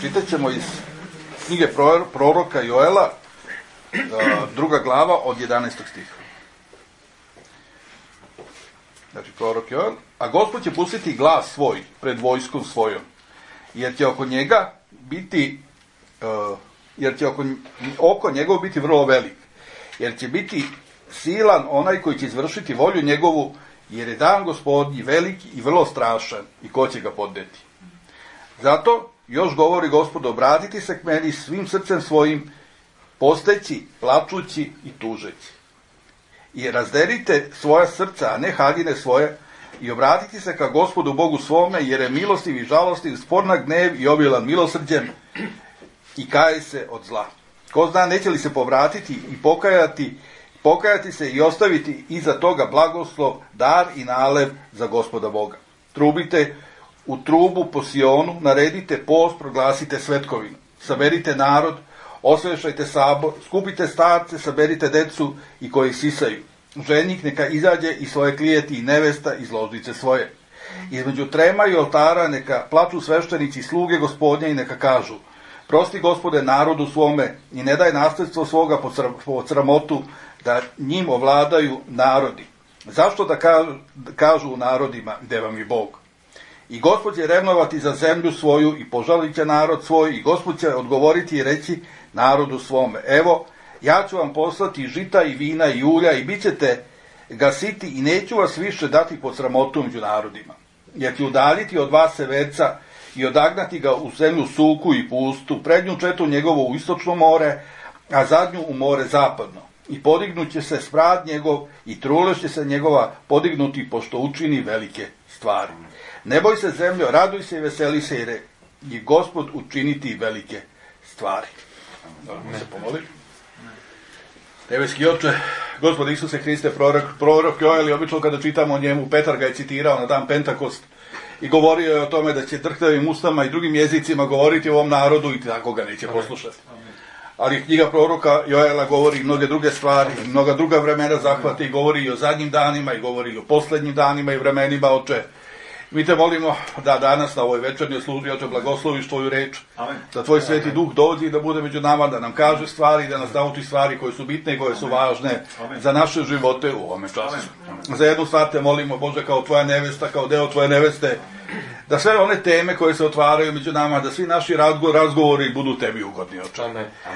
čitat ćemo iz knjige proroka Joela, 2. glava od 11. stiha. Znači, prorok Joel, a Gospod će pustiti glas svoj pred vojskom svojom, jer će oko njega biti, oko njegov biti vrlo velik, jer će biti silan onaj koji će izvršiti volju njegovu, jer je dan Gospodnji veliki i vrlo strašan i ko će ga podneti. Zato još govori Gospod, obratiti se k meni svim srcem svojim, posteći, plačući i tužeći. I razderite svoja srca, a ne haljine svoje, i obratiti se ka Gospodu Bogu svome, jer je milostiv i žalostiv, spor na gnev i obilan milosrđem, i kaje se od zla. Ko zna, neće li se povratiti i pokajati se i ostaviti iza toga blagoslov, dar i nalev za Gospoda Boga. Trubite u trubu po Sionu, naredite post, proglasite svetkovinu. Saberite narod, osvešajte sabor, skupite starce, saberite decu i koji sisaju. Ženik neka izađe i svoje klijeti i nevesta iz ložnice svoje. Između trema i oltara neka plaču sveštenici i sluge Gospodnje i neka kažu: prosti Gospode narodu svome i ne daj nasljedstvo svoga po sramotu, da njim ovladaju narodi. Zašto da kažu u narodima, gde vam je Bog? I Gospod će revnovati za zemlju svoju i požalit će narod svoj, i Gospod će odgovoriti i reći narodu svome: evo, ja ću vam poslati žita i vina i ulja i bit ćete gasiti i neću vas više dati pod sramotu među narodima. Jer ću udaljiti od vas severca i odagnati ga u zemlju suku i pustu, prednju četu njegovo u istočno more, a zadnju u more zapadno. I podignut će se smrad njegov i truleš će se njegova podignuti, pošto učini velike stvari. Ne boj se zemljo, raduj se i veseli se, jer je Gospod učiniti velike stvari. Da se pomoli. Nebeski Oče, Gospod Isuse Hriste, prorok Joel, i obično kada čitamo o njemu, Petar ga je citirao na dan Pentakost i govorio je o tome da će drhtavim ustama i drugim jezicima govoriti o ovom narodu i tako ga neće poslušati. Ali knjiga proroka Joela govori i mnoge druge stvari, i mnoga druga vremena zahvata, i govori i o zadnjim danima, i govori i o poslednjim danima i vremenima. Oče, mi te molimo da danas na ovoj večernjoj službi, Oče, blagosloviš tvoju reč, da tvoj sveti duh dođe i da bude među nama, da nam kaže stvari, da nas nauči stvari koje su bitne i koje su važne za naše živote u ovome času. Za jednu stvar te molimo, Bože, kao tvoja nevesta, kao deo tvoje neveste, da sve one teme koje se otvaraju među nama, da svi naši razgovori budu tebi ugodni, Oče.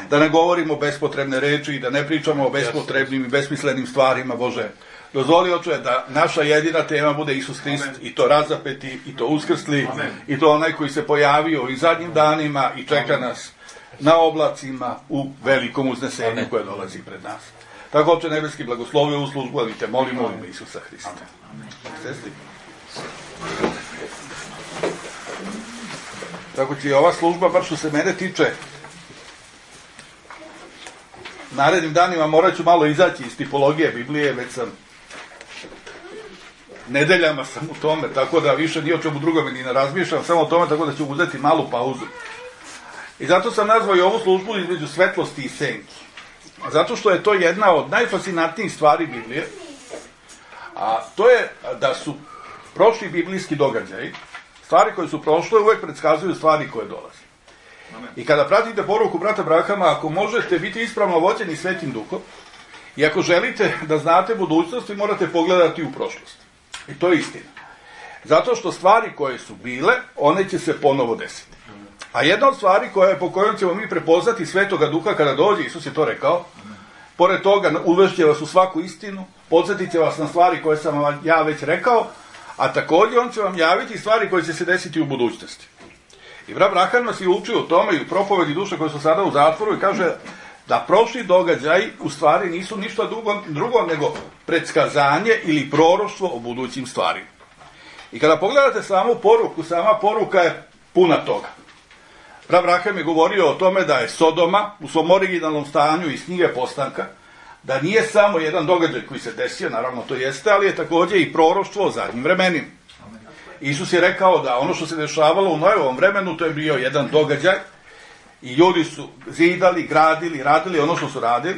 Da ne govorimo bespotrebne reči i da ne pričamo o bespotrebnim i besmislenim stvarima, Bože. Dozvoli, Oče, da naša jedina tema bude Isus Hrist, i to razapeti, i to uskrsli, i to onaj koji se pojavio i zadnjim danima i čeka nas na oblacima u velikom uznesenju koje dolazi pred nas. Tako, Oče nebeski, blagoslovi ovu službu, ali te molimo u ime Isusa Hrista. Sestri. Tako će i ova služba, bar što se mene tiče, narednim danima morat ću malo izaći iz tipologije Biblije, već sam nedeljama sam u tome, tako da više ni o čemu drugome ni ne razmišljam, samo o tome, tako da ću uzeti malu pauzu. I zato sam nazvao i ovu službu između svetlosti i senki. Zato što je to jedna od najfascinantnijih stvari Biblije, a to je da su prošli biblijski događaji, stvari koje su prošle uvek predskazuju stvari koje dolaze. I kada pratite poruku brata Brahama, ako možete biti ispravno vođeni Svetim Duhom, i ako želite da znate budućnost, vi morate pogledati u prošlost. I to je istina. Zato što stvari koje su bile, one će se ponovo desiti. A jedna od stvari po kojom ćemo mi prepoznati Svetoga Duha kada dođe, Isus je to rekao, pored toga uvešće vas u svaku istinu, podsjetit će vas na stvari koje sam vam ja već rekao, a također on će vam javiti stvari koje će se desiti u budućnosti. I brat Braham nas je učio o tome i u propovedi duše koje su sada u zatvoru i kaže da prošli događaji u stvari nisu ništa drugo nego predskazanje ili proroštvo o budućim stvarima. I kada pogledate samu poruku, sama poruka je puna toga. Brat Braham je govorio o tome da je Sodoma u svom originalnom stanju iz knjige Postanka, da nije samo jedan događaj koji se desio, naravno to jeste, ali je također i proroštvo o zadnjim vremenima. Isus je rekao da ono što se dešavalo u Noevom vremenu, to je bio jedan događaj i ljudi su zidali, gradili, radili ono što su radili,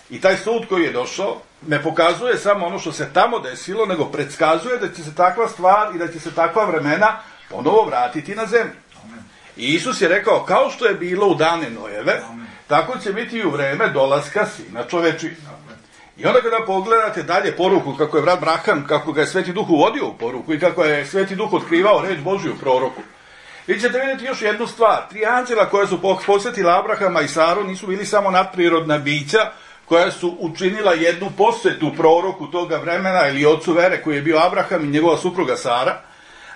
i taj sud koji je došao ne pokazuje samo ono što se tamo desilo, nego predskazuje da će se takva stvar i da će se takva vremena ponovo vratiti na zemlju. I Isus je rekao, kao što je bilo u dane Nojeve, tako će biti i u vreme dolaska Sina čovečijeg. I onda kada pogledate dalje poruku, kako je brat Braham, kako ga je Sveti Duh uvodio u poruku i kako je Sveti Duh otkrivao reč Božju u proroku, vi ćete vidjeti još jednu stvar. 3 anđela koja su posjetila Abrahama i Saru nisu bili samo nadprirodna bića koja su učinila jednu posjetu proroku toga vremena ili ocu vere koji je bio Abraham i njegova supruga Sara,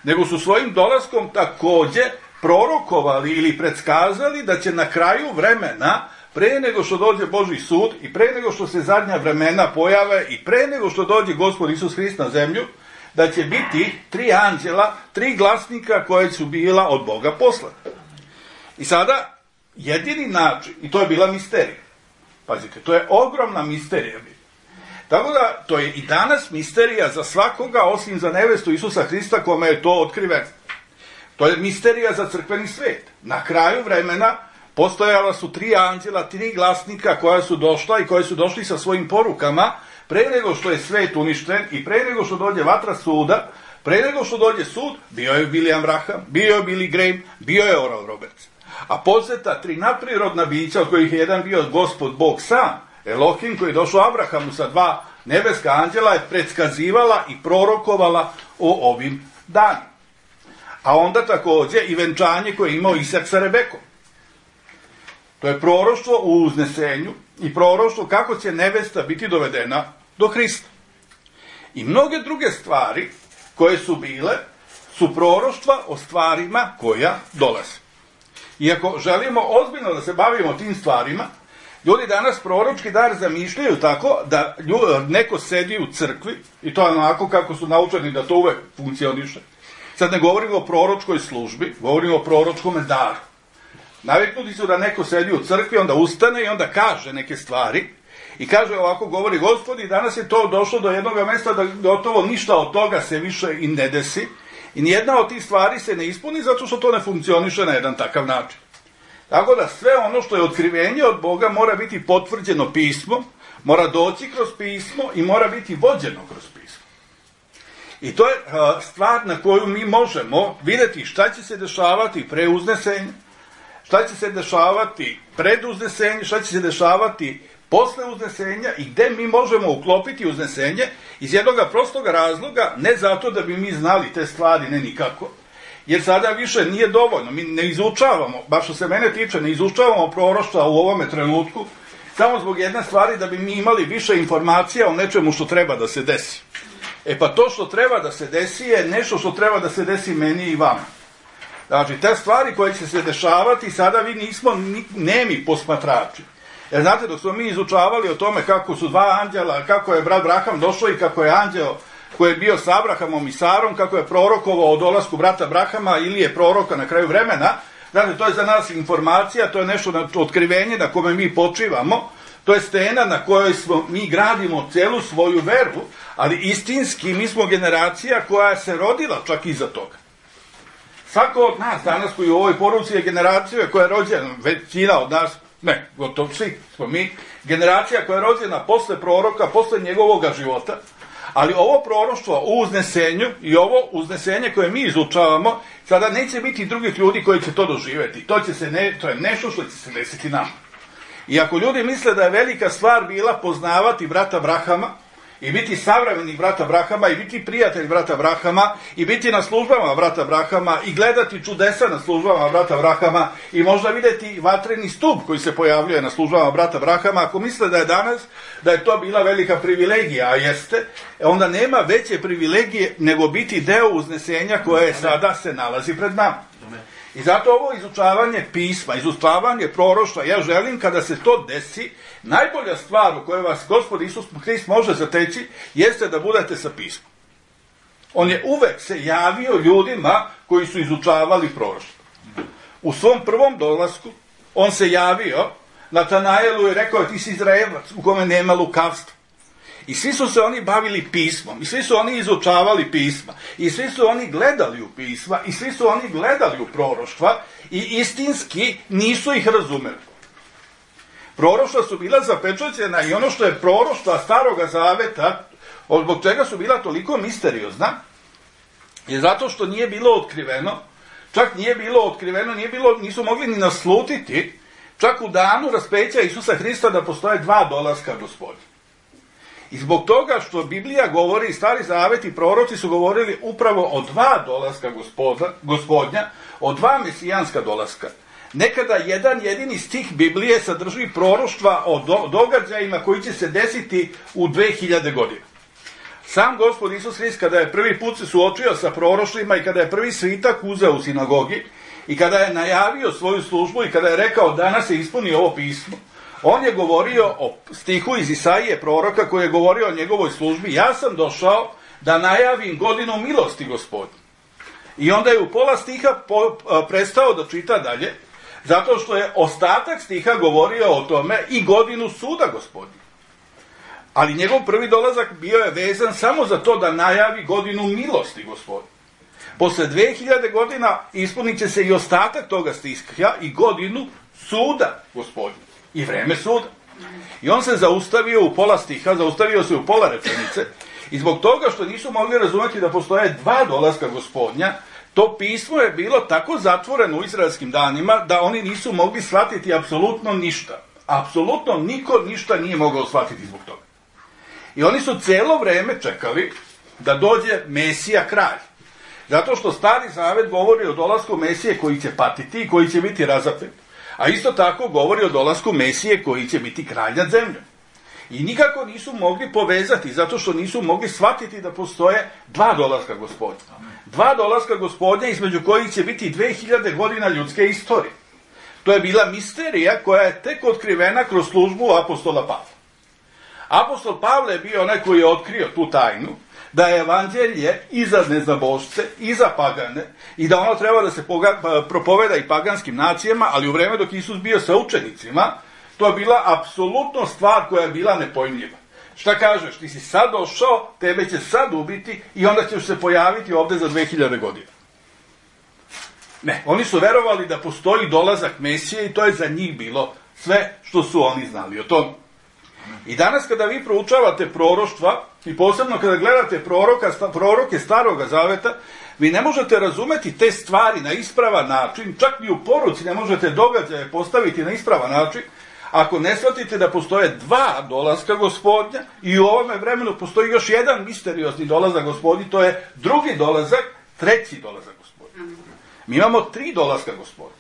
nego su svojim dolaskom takođe prorokovali ili predskazali da će na kraju vremena, pre nego što dođe Božji sud i pre nego što se zadnja vremena pojave i pre nego što dođe Gospod Isus Hrist na zemlju, da će biti 3 anđela, 3 glasnika koje su bila od Boga poslana. I sada, jedini način, i to je bila misterija. Pazite, to je ogromna misterija. Tako da, to je i danas misterija za svakoga, osim za nevestu Isusa Hrista, kome je to otkriveno. To je misterija za crkveni svet. Na kraju vremena postojala su 3 anđela, 3 glasnika koja su došla i koji su došli sa svojim porukama pre nego što je svet uništen i pre nego što dođe vatra suda, pre nego što dođe sud, bio je William Branham, bio je Billy Graham, bio je Oral Roberts. A posjeta 3 nadprirodna bića, od kojih je jedan bio Gospod Bog sam, Elohim, koji je došao Abrahamu sa 2 nebeska anđela, je predskazivala i prorokovala o ovim danima. A onda takođe i venčanje koje je imao Isak sa Rebekom. To je proroštvo u uznesenju i proroštvo kako će nevesta biti dovedena do Hrista. I mnoge druge stvari koje su bile su proroštva o stvarima koja dolaze. I ako želimo ozbiljno da se bavimo tim stvarima, ljudi danas proročki dar zamišljaju tako da neko sedi u crkvi, i to je onako kako su naučeni da to uvek funkcioniše. Sad ne govorimo o proročkoj službi, govorimo o proročkom daru. Naviknuti su da neko sedi u crkvi, onda ustane i onda kaže neke stvari i kaže ovako, govori Gospod, i danas je to došlo do jednog mesta da gotovo ništa od toga se više i ne desi i nijedna od tih stvari se ne ispuni zato što to ne funkcioniše na jedan takav način. Tako da sve ono što je otkrivenje od Boga mora biti potvrđeno pismom, mora doći kroz pismo i mora biti vođeno kroz pismo. I to je stvar na koju mi možemo vidjeti šta će se dešavati pre uznesenja, šta će se dešavati pred uznesenje, šta će se dešavati posle uznesenja i gde mi možemo uklopiti uznesenje iz jednog prostog razloga, ne zato da bi mi znali te stvari, ne nikako, jer sada više nije dovoljno, mi ne izučavamo, baš što se mene tiče, ne izučavamo proroštva u ovome trenutku, samo zbog jedne stvari da bi mi imali više informacija o nečemu što treba da se desi. E pa to što treba da se desi je nešto što treba da se desi meni i vama. Znači, te stvari koje će se dešavati, sada vi nismo nemi posmatrači. Jer znate, dok smo mi izučavali o tome kako su 2 anđela, kako je brat Braham došao i kako je anđeo koji je bio sa Abrahamom i Sarom, kako je prorokovao o dolasku brata Brahama ili je proroka na kraju vremena, znate, to je za nas informacija, to je nešto otkrivenje na kome mi počivamo, to je stena na kojoj mi gradimo celu svoju veru, ali istinski mi smo generacija koja se rodila čak iza toga. Svako od nas danas koji u ovoj poruci je generacija koja je rođena, većina od nas, ne, gotovo svi smo mi, generacija koja je rođena posle proroka, posle njegovoga života, ali ovo proroštvo u uznesenju i ovo uznesenje koje mi izučavamo, sada neće biti drugih ljudi koji će to doživjeti. To je nešto što će se desiti nama. I ako ljudi misle da je velika stvar bila poznavati brata Brahama, i biti savremenih brata Brahama, i biti prijatelj brata Brahama, i biti na službama brata Brahama, i gledati čudesa na službama brata Brahama, i možda vidjeti vatreni stup koji se pojavljuje na službama brata Brahama, ako misle da je danas, da je to bila velika privilegija, a jeste, onda nema veće privilegije nego biti deo uznesenja koje sada se nalazi pred nama. I zato ovo izučavanje pisma, izučavanje proroštva, ja želim kada se to desi, najbolja stvar u kojoj vas Gospod Isus Hrist može zateći, jeste da budete sa pismom. On je uvek se javio ljudima koji su izučavali proroštvo. U svom prvom dolasku, on se javio Natanaelu i rekao, ti si Izraelac u kome nema lukavstva. I svi su se oni bavili pismom, i svi su oni izučavali pisma, i svi su oni gledali u pisma, i svi su oni gledali u proroštva, i istinski nisu ih razumeli. Proroštva su bila zapečaćena i ono što je proroštva Staroga Zaveta, zbog čega su bila toliko misteriozna, je zato što nije bilo otkriveno čak nije bilo otkriveno, nisu mogli ni naslutiti, čak u danu raspeća Isusa Hrista da postoje 2 dolaska Gospodnja. I zbog toga što Biblija govori, Stari Zavet i proroci su govorili upravo o 2 dolaska Gospodnja, o 2 mesijanska dolaska. Nekada jedan jedini stih Biblije sadrži proroštva o događajima koji će se desiti u 2000 godina. Sam Gospod Isus Hrist, kada je prvi put se suočio sa proroštvima i kada je prvi svitak uzeo u sinagogi i kada je najavio svoju službu i kada je rekao danas se ispuni ovo pismo, on je govorio o stihu iz Isaije proroka koji je govorio o njegovoj službi. Ja sam došao da najavim godinu milosti Gospodnje. I onda je u pola stiha prestao da čita dalje, zato što je ostatak stiha govorio o tome i godinu suda Gospodnje. Ali njegov prvi dolazak bio je vezan samo za to da najavi godinu milosti Gospodnje. Posle 2000 godina ispunit će se i ostatak toga stiha i godinu suda Gospodnje. I vreme suda. I on se zaustavio u pola stiha, zaustavio se u pola rečenice i zbog toga što nisu mogli razumeti da postoje 2 dolaska Gospodnja, to pismo je bilo tako zatvoreno u izraelskim danima da oni nisu mogli shvatiti apsolutno ništa. Apsolutno niko ništa nije mogao shvatiti zbog toga. I oni su celo vreme čekali da dođe Mesija kralj. Zato što Stari Zavet govori o dolasku Mesije koji će patiti i koji će biti razapet. A isto tako govori o dolasku Mesije koji će biti kralj nad zemljom. I nikako nisu mogli povezati, zato što nisu mogli shvatiti da postoje 2 dolaska Gospodnja. 2 dolaska Gospodnja između kojih će biti 2000 godina ljudske istorije. To je bila misterija koja je tek otkrivena kroz službu apostola Pavla. Apostol Pavle je bio onaj koji je otkrio tu tajnu, da je evanđelje i za neznabošce, i za pagane, i da ono treba da se propoveda i paganskim nacijama, ali u vreme dok Isus bio sa učenicima, to je bila apsolutno stvar koja je bila nepojmljiva. Šta kažeš, ti si sad došao, tebe će sad ubiti i onda ćeš se pojaviti ovde za 2000 godina. Ne, oni su verovali da postoji dolazak Mesije i to je za njih bilo sve što su oni znali o tome. I danas kada vi proučavate proroštva i posebno kada gledate proroke Staroga Zaveta, vi ne možete razumeti te stvari na ispravan način, čak i u poruci ne možete događaje postaviti na ispravan način, ako ne shvatite da postoje 2 dolaska Gospodnja i u ovome vremenu postoji još jedan misteriozni dolazak Gospodnji, to je drugi dolazak, treći dolazak Gospodnji. Mi imamo 3 dolaska Gospodnja.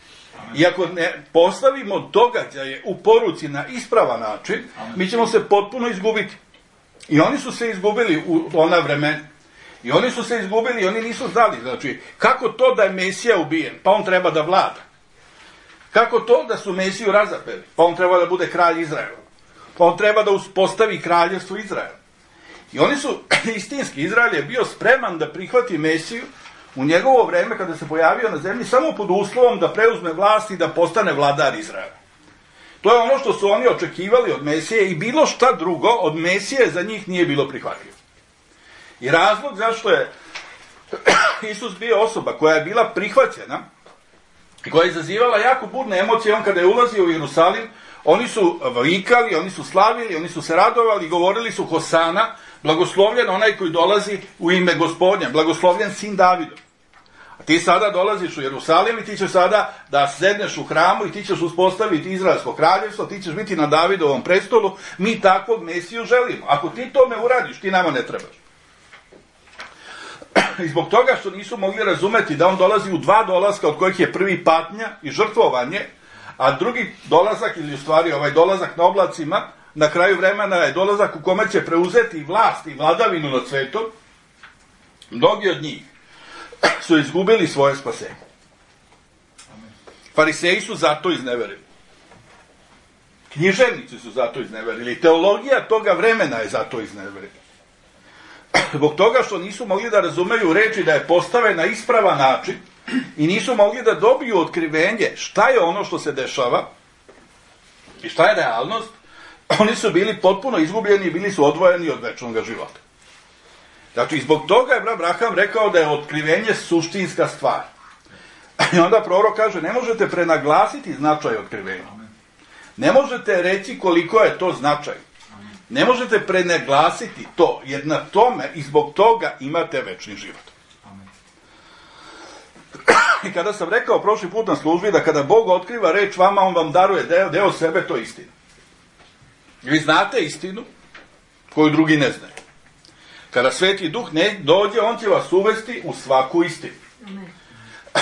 I ako ne postavimo događaje u poruci na ispravan način, mi ćemo se potpuno izgubiti. I oni su se izgubili u ona vremena. I oni su se izgubili i oni nisu znali. Znači, kako to da je Mesija ubijen? Pa on treba da vlada. Kako to da su Mesiju razapeli? Pa on treba da bude kralj Izraela. Pa on treba da uspostavi kraljevstvo Izraela. I oni su, istinski, Izrael je bio spreman da prihvati Mesiju u njegovo vreme kada se pojavio na zemlji samo pod uslovom da preuzme vlast i da postane vladar Izraela. To je ono što su oni očekivali od Mesije i bilo šta drugo od Mesije za njih nije bilo prihvatljivo. I razlog zašto je Isus bio osoba koja je bila prihvaćena i koja je izazivala jako burne emocije, on kada je ulazio u Jerusalim, oni su vikali, oni su slavili, oni su se radovali, govorili su Hosana, blagoslovljen onaj koji dolazi u ime Gospodnja, blagoslovljen sin Davidov. A ti sada dolaziš u Jerusalim i ti ćeš sada da sedneš u hramu i ti ćeš uspostaviti Izraelsko kraljevstvo, ti ćeš biti na Davidovom prestolu, mi takvog Mesiju želimo. Ako ti to ne uradiš, ti nama ne trebaš. I zbog toga što nisu mogli razumeti da on dolazi u 2 dolaska, od kojih je prvi patnja i žrtvovanje, a drugi dolazak, ili u stvari ovaj dolazak na oblacima, na kraju vremena je dolazak u kome će preuzeti vlast i vladavinu nad svetom, mnogi od njih su izgubili svoje spasenje. Fariseji su zato izneverili. Književnici su zato izneverili. Teologija toga vremena je zato izneverila. Zbog toga što nisu mogli da razumeju reči da je postavena na ispravan način i nisu mogli da dobiju otkrivenje šta je ono što se dešava i šta je realnost, oni su bili potpuno izgubljeni i bili su odvojeni od večnog života. Znači, zbog toga je Abraham rekao da je otkrivenje suštinska stvar. I onda prorok kaže, ne možete prenaglasiti značaj otkrivenja. Ne možete reći koliko je to značaj. Ne možete prenaglasiti to, jer na tome i zbog toga imate večni život. I kada sam rekao prošli put na službi da kada Bog otkriva reč vama, on vam daruje deo sebe, to je istina. Vi znate istinu koju drugi ne znaju. Kada Sveti Duh ne dođe, on će vas uvesti u svaku istinu.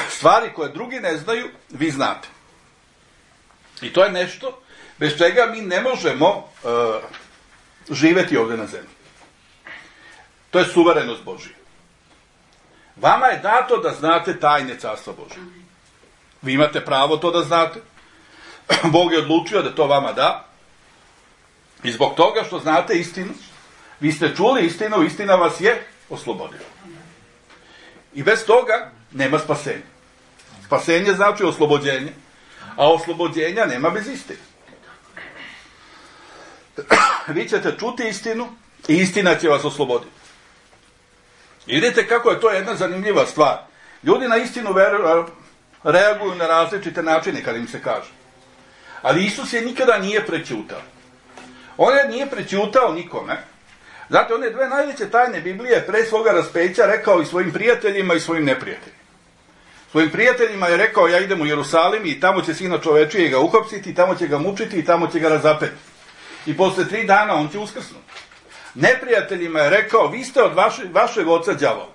Stvari koje drugi ne znaju, vi znate. I to je nešto bez čega mi ne možemo živeti ovdje na zemlji. To je suverenost Božija. Vama je dato da znate tajne Carstva Božja. Vi imate pravo to da znate. Bog je odlučio da to vama da. I zbog toga što znate istinu, vi ste čuli istinu, istina vas je oslobodila. I bez toga nema spasenja. Spasenje znači oslobođenje, a oslobođenja nema bez istine. Vi ćete čuti istinu i istina će vas osloboditi. I vidite kako je to jedna zanimljiva stvar. Ljudi na istinu reaguju na različite načine kad im se kaže. Ali Isus je nikada nije prećutao. On je nije prećutao nikome. Zato one dve najveće tajne Biblije pre svoga raspeća rekao i svojim prijateljima i svojim neprijateljima. Svojim prijateljima je rekao, ja idem u Jerusalim i tamo će Sina čovečije ga uhapsiti, i tamo će ga mučiti i tamo će ga razapeti. I posle 3 dana on će uskrsnuti. Neprijateljima je rekao, vi ste od vašeg oca đavola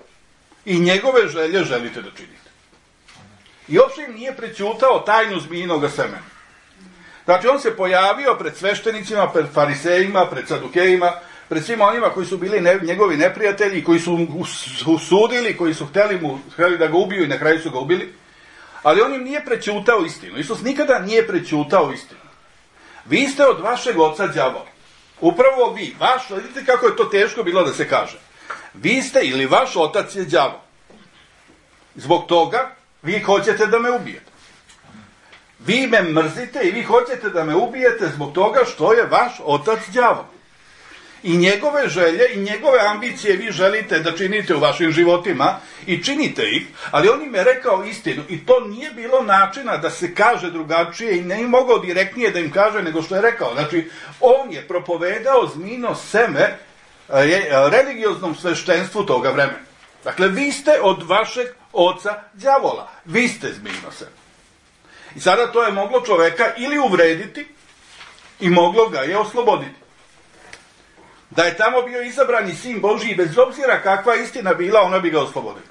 i njegove želje želite da činite. I uopšte im nije prećutao tajnu zmijinoga semena. Znači on se pojavio pred sveštenicima, pred farisejima, pred sadukejima, pred svima onima koji su bili njegovi neprijatelji, koji su usudili, koji su htjeli da ga ubiju i na kraju su ga ubili. Ali on im nije prećutao istinu. Isus nikada nije prećutao istinu. Vi ste od vašeg oca đavola. Upravo vi, vidite kako je to teško bilo da se kaže. Vi ste ili vaš otac je đavol. Zbog toga vi hoćete da me ubijete. Vi me mrzite i vi hoćete da me ubijete zbog toga što je vaš otac đavol. I njegove želje i njegove ambicije vi želite da činite u vašim životima i činite ih, ali on im je rekao istinu i to nije bilo načina da se kaže drugačije i ne mogao direktnije da im kaže nego što je rekao. Znači, on je propovedao zmijino seme religioznom sveštenstvu toga vremena. Dakle, vi ste od vašeg oca đavola. Vi ste zmijino seme. I sada to je moglo čoveka ili uvrediti i moglo ga je osloboditi. Da je tamo bio izabrani Sin Božji, bez obzira kakva istina bila, ona bi ga oslobodila.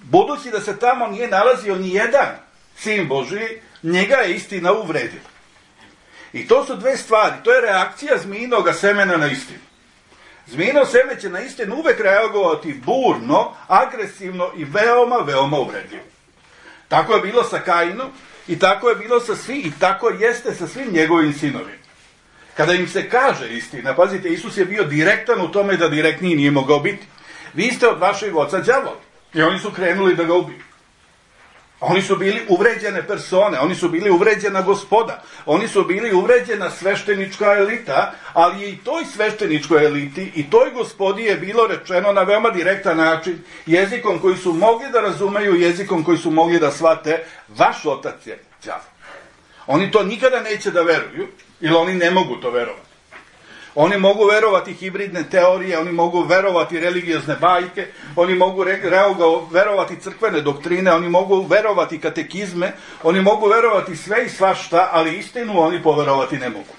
Budući da se tamo nije nalazio ni jedan Sin Božji, njega je istina uvredila. I to su dve stvari. To je reakcija zmijinoga semena na istinu. Zmijino seme će na istinu uvek reagovati burno, agresivno i veoma, veoma uvredljivo. Tako je bilo sa Kainom i tako je bilo sa svim, i tako jeste sa svim njegovim sinovima. Kada im se kaže istina, pazite, Isus je bio direktan u tome da direktniji nije mogao biti. Vi ste od vašeg oca đavola. I oni su krenuli da ga ubiju. Oni su bili uvređene persone, oni su bili uvređena gospoda, oni su bili uvređena sveštenička elita, ali i toj svešteničkoj eliti i toj gospodi je bilo rečeno na veoma direktan način, jezikom koji su mogli da razumeju, jezikom koji su mogli da shvate, vaš otac je đavo. Oni to nikada neće da veruju, ili oni ne mogu to verovati. Oni mogu verovati hibridne teorije, oni mogu verovati religiozne bajke, oni mogu verovati crkvene doktrine, oni mogu verovati katekizme, oni mogu verovati sve i svašta, ali istinu oni poverovati ne mogu.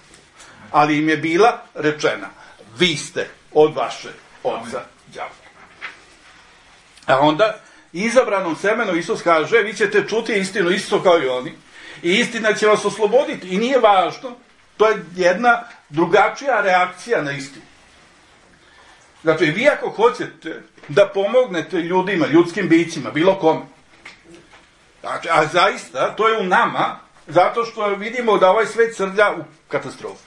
Ali im je bila rečena, vi ste od vaše oca đavola. A onda, izabranom semenu Isus kaže, vi ćete čuti istinu isto kao i oni, i istina će vas osloboditi. I nije važno, to je jedna drugačija reakcija na istinu. Znači, vi ako hoćete da pomognete ljudima, ljudskim bićima, bilo kome, znači, a zaista, to je u nama, zato što vidimo da ovaj svet srlja u katastrofu.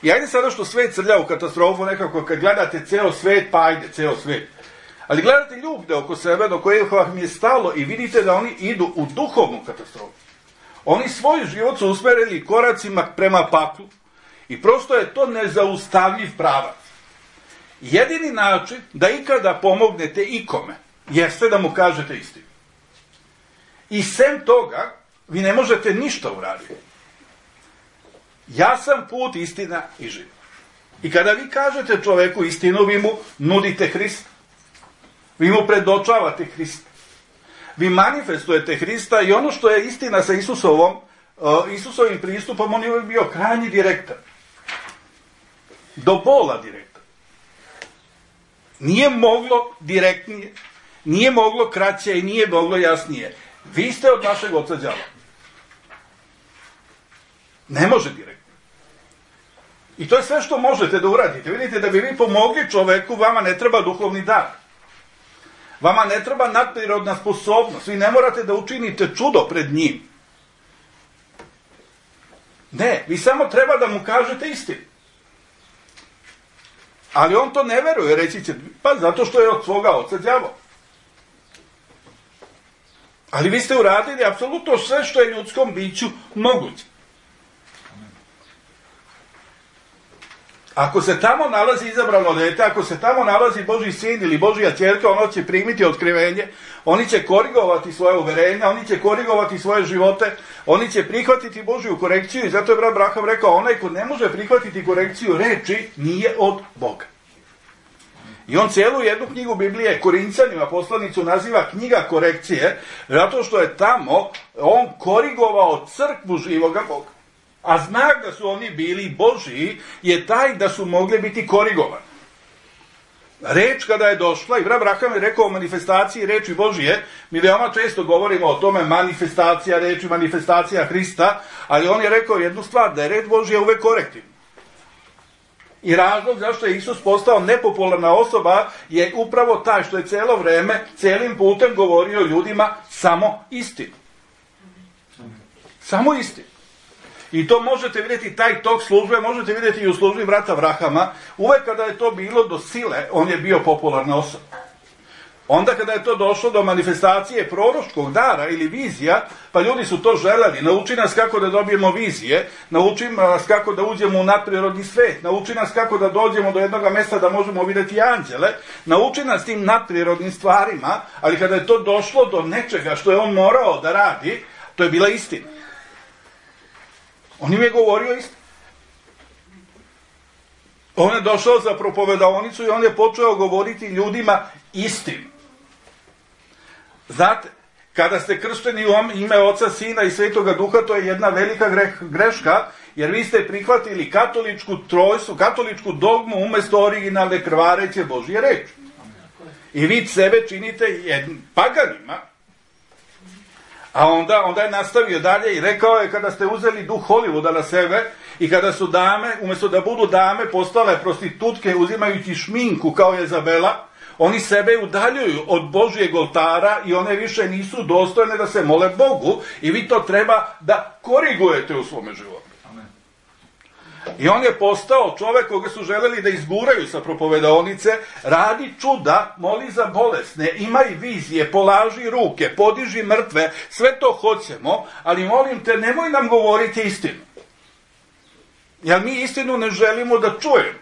I ajde sada što svet srlja u katastrofu, nekako kad gledate ceo svet, pa ajde, ceo svet. Ali gledate ljude oko sebe, do kojih vam je stalo i vidite da oni idu u duhovnu katastrofu. Oni svoj život su usmerili koracima prema paklu i prosto je to nezaustavljiv pravac. Jedini način da ikada pomognete ikome jeste da mu kažete istinu. I sem toga vi ne možete ništa uraditi. Ja sam put, istina i život. I kada vi kažete čoveku istinu, vi mu nudite Hrista. Vi mu predočavate Hrista. Vi manifestujete Hrista i ono što je istina sa Isusovim pristupom, on je uvijek bio krajnji direktan. Do bola direktan. Nije moglo direktnije, nije moglo kraće i nije moglo jasnije. Vi ste od našeg oca đava. Ne može direktno. I to je sve što možete da uradite. Vidite, da bi vi pomogli čoveku, vama ne treba duhovni dar. Vama ne treba nadprirodna sposobnost. Vi ne morate da učinite čudo pred njim. Ne, vi samo treba da mu kažete istinu. Ali on to ne veruje, reći će, pa zato što je od svoga oca đavo. Ali vi ste uradili apsolutno sve što je ljudskom biću moguće. Ako se tamo nalazi izabrano dete, ako se tamo nalazi Božji sin ili Božja ćerka, ono će primiti otkrivenje, oni će korigovati svoje uverenja, oni će korigovati svoje živote, oni će prihvatiti Božju korekciju i zato je brat Braham rekao, onaj ko ne može prihvatiti korekciju reči, nije od Boga. I on cijelu jednu knjigu Biblije Korinćanima poslanicu naziva knjiga korekcije, zato što je tamo on korigovao crkvu živoga Boga. A znak da su oni bili Božiji je taj da su mogli biti korigovani. Reč kada je došla, i brat Braham je rekao o manifestaciji reči Božije, mi veoma često govorimo o tome manifestacija reči, manifestacija Hrista, ali on je rekao jednu stvar, da je reč Božija uvek korektivna. I razlog zašto je Isus postao nepopularna osoba je upravo taj što je cijelo vreme, cijelim putem govorio ljudima samo istinu. Samo istinu. I to možete vidjeti, taj tok službe, možete vidjeti i u službi brata Brahama. Uvek kada je to bilo do sile, on je bio popularna osoba. Onda kada je to došlo do manifestacije proročkog dara ili vizija, pa ljudi su to želeli. Nauči nas kako da dobijemo vizije, nauči nas kako da uđemo u nadprirodni svet, nauči nas kako da dođemo do jednog mjesta da možemo vidjeti anđele, nauči nas tim nadprirodnim stvarima, ali kada je to došlo do nečega što je on morao da radi, to je bila istina. On im je govorio istinu. On je došao za propovedaonicu i on je počeo govoriti ljudima istinu. Znate, kada ste kršteni u ime Oca, Sina i Svetoga Duha, to je jedna velika greška, jer vi ste prihvatili katoličku trojstvu, katoličku dogmu umjesto originalne krvareće Božje reči. I vi sebe činite paganima. A onda je nastavio dalje i rekao je, kada ste uzeli duh Hollywooda na sebe i kada su dame, umjesto da budu dame, postale prostitutke uzimajući šminku kao Jezabela, oni sebe udaljuju od Božjeg oltara i one više nisu dostojne da se mole Bogu i vi to treba da korigujete u svome životu. I on je postao čovjek koga su želeli da izguraju sa propovedaonice, radi čuda, moli za bolesne, imaj vizije, polaži ruke, podiži mrtve, sve to hoćemo, ali molim te, nemoj nam govoriti istinu. Jer mi istinu ne želimo da čujemo.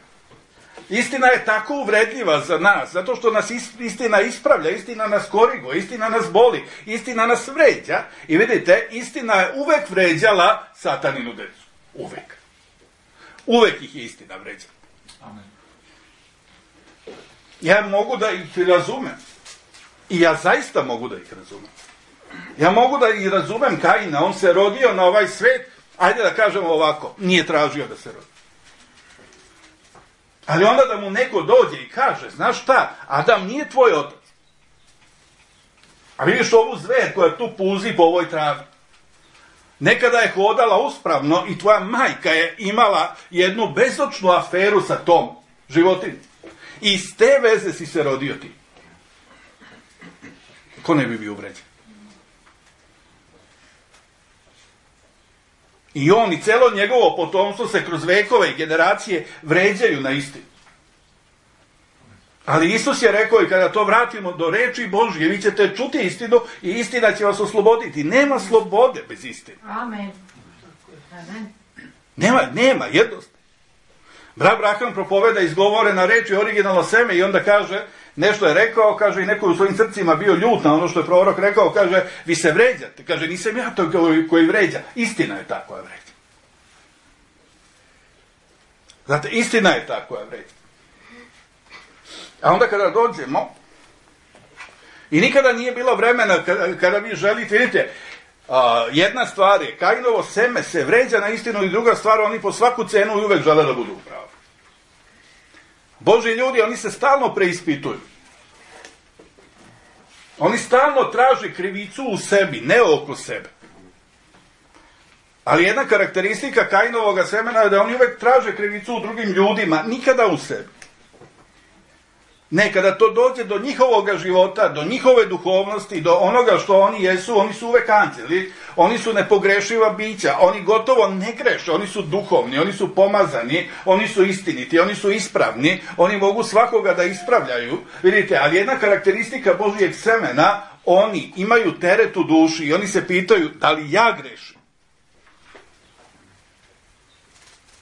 Istina je tako uvredljiva za nas, zato što nas istina ispravlja, istina nas koriguje, istina nas boli, istina nas vređa. I vidite, istina je uvek vređala sataninu decu. Uvek. Uvek ih je istina vređala. Amen. Ja mogu da ih razumem. I ja zaista mogu da ih razumem. Ja mogu da ih razumem Kaina. On se rodio na ovaj svet, ajde da kažemo ovako, nije tražio da se rodi. Ali onda da mu neko dođe i kaže, znaš šta, Adam nije tvoj otac. A vidiš ovu zver koja tu puzi po ovoj travi. Nekada je hodala uspravno i tvoja majka je imala jednu bezočnu aferu sa tom životinjom. I iz te veze si se rodio ti. Ko ne bi bio uvređen? I on i celo njegovo potomstvo se kroz vekove i generacije vređaju na istinu. Ali Isus je rekao i kada to vratimo do reči Božje, vi ćete čuti istinu i istina će vas osloboditi. Nema slobode bez istine. Amen. Nema, jednostavno. Brat Braham propoveda izgovorena reči originalno seme i onda kaže, nešto je rekao, kaže i neko u svojim srcima bio ljut na ono što je prorok rekao, kaže, vi se vređate. Kaže, nisam ja to koji vređa. Istina je ta koja vređa. Znate, istina je ta koja vređa. A onda kada dođemo I nikada nije bilo vremena kada vi želite, vidite, jedna stvar je, Kainovo seme se vređa na istinu i druga stvar, oni po svaku cenu i uvek žele da budu u pravu. Božji ljudi, oni se stalno preispituju. Oni stalno traže krivicu u sebi, ne oko sebe. Ali jedna karakteristika Kainovog semena je da oni uvek traže krivicu u drugim ljudima, nikada u sebi. Ne, kada to dođe do njihovog života, do njihove duhovnosti, do onoga što oni jesu, oni su uvek anđeli, oni su nepogrešiva bića, oni gotovo ne greše, oni su duhovni, oni su pomazani, oni su istiniti, oni su ispravni, oni mogu svakoga da ispravljaju, vidite, ali jedna karakteristika Božijeg semena, oni imaju teret u duši i oni se pitaju da li ja grešim?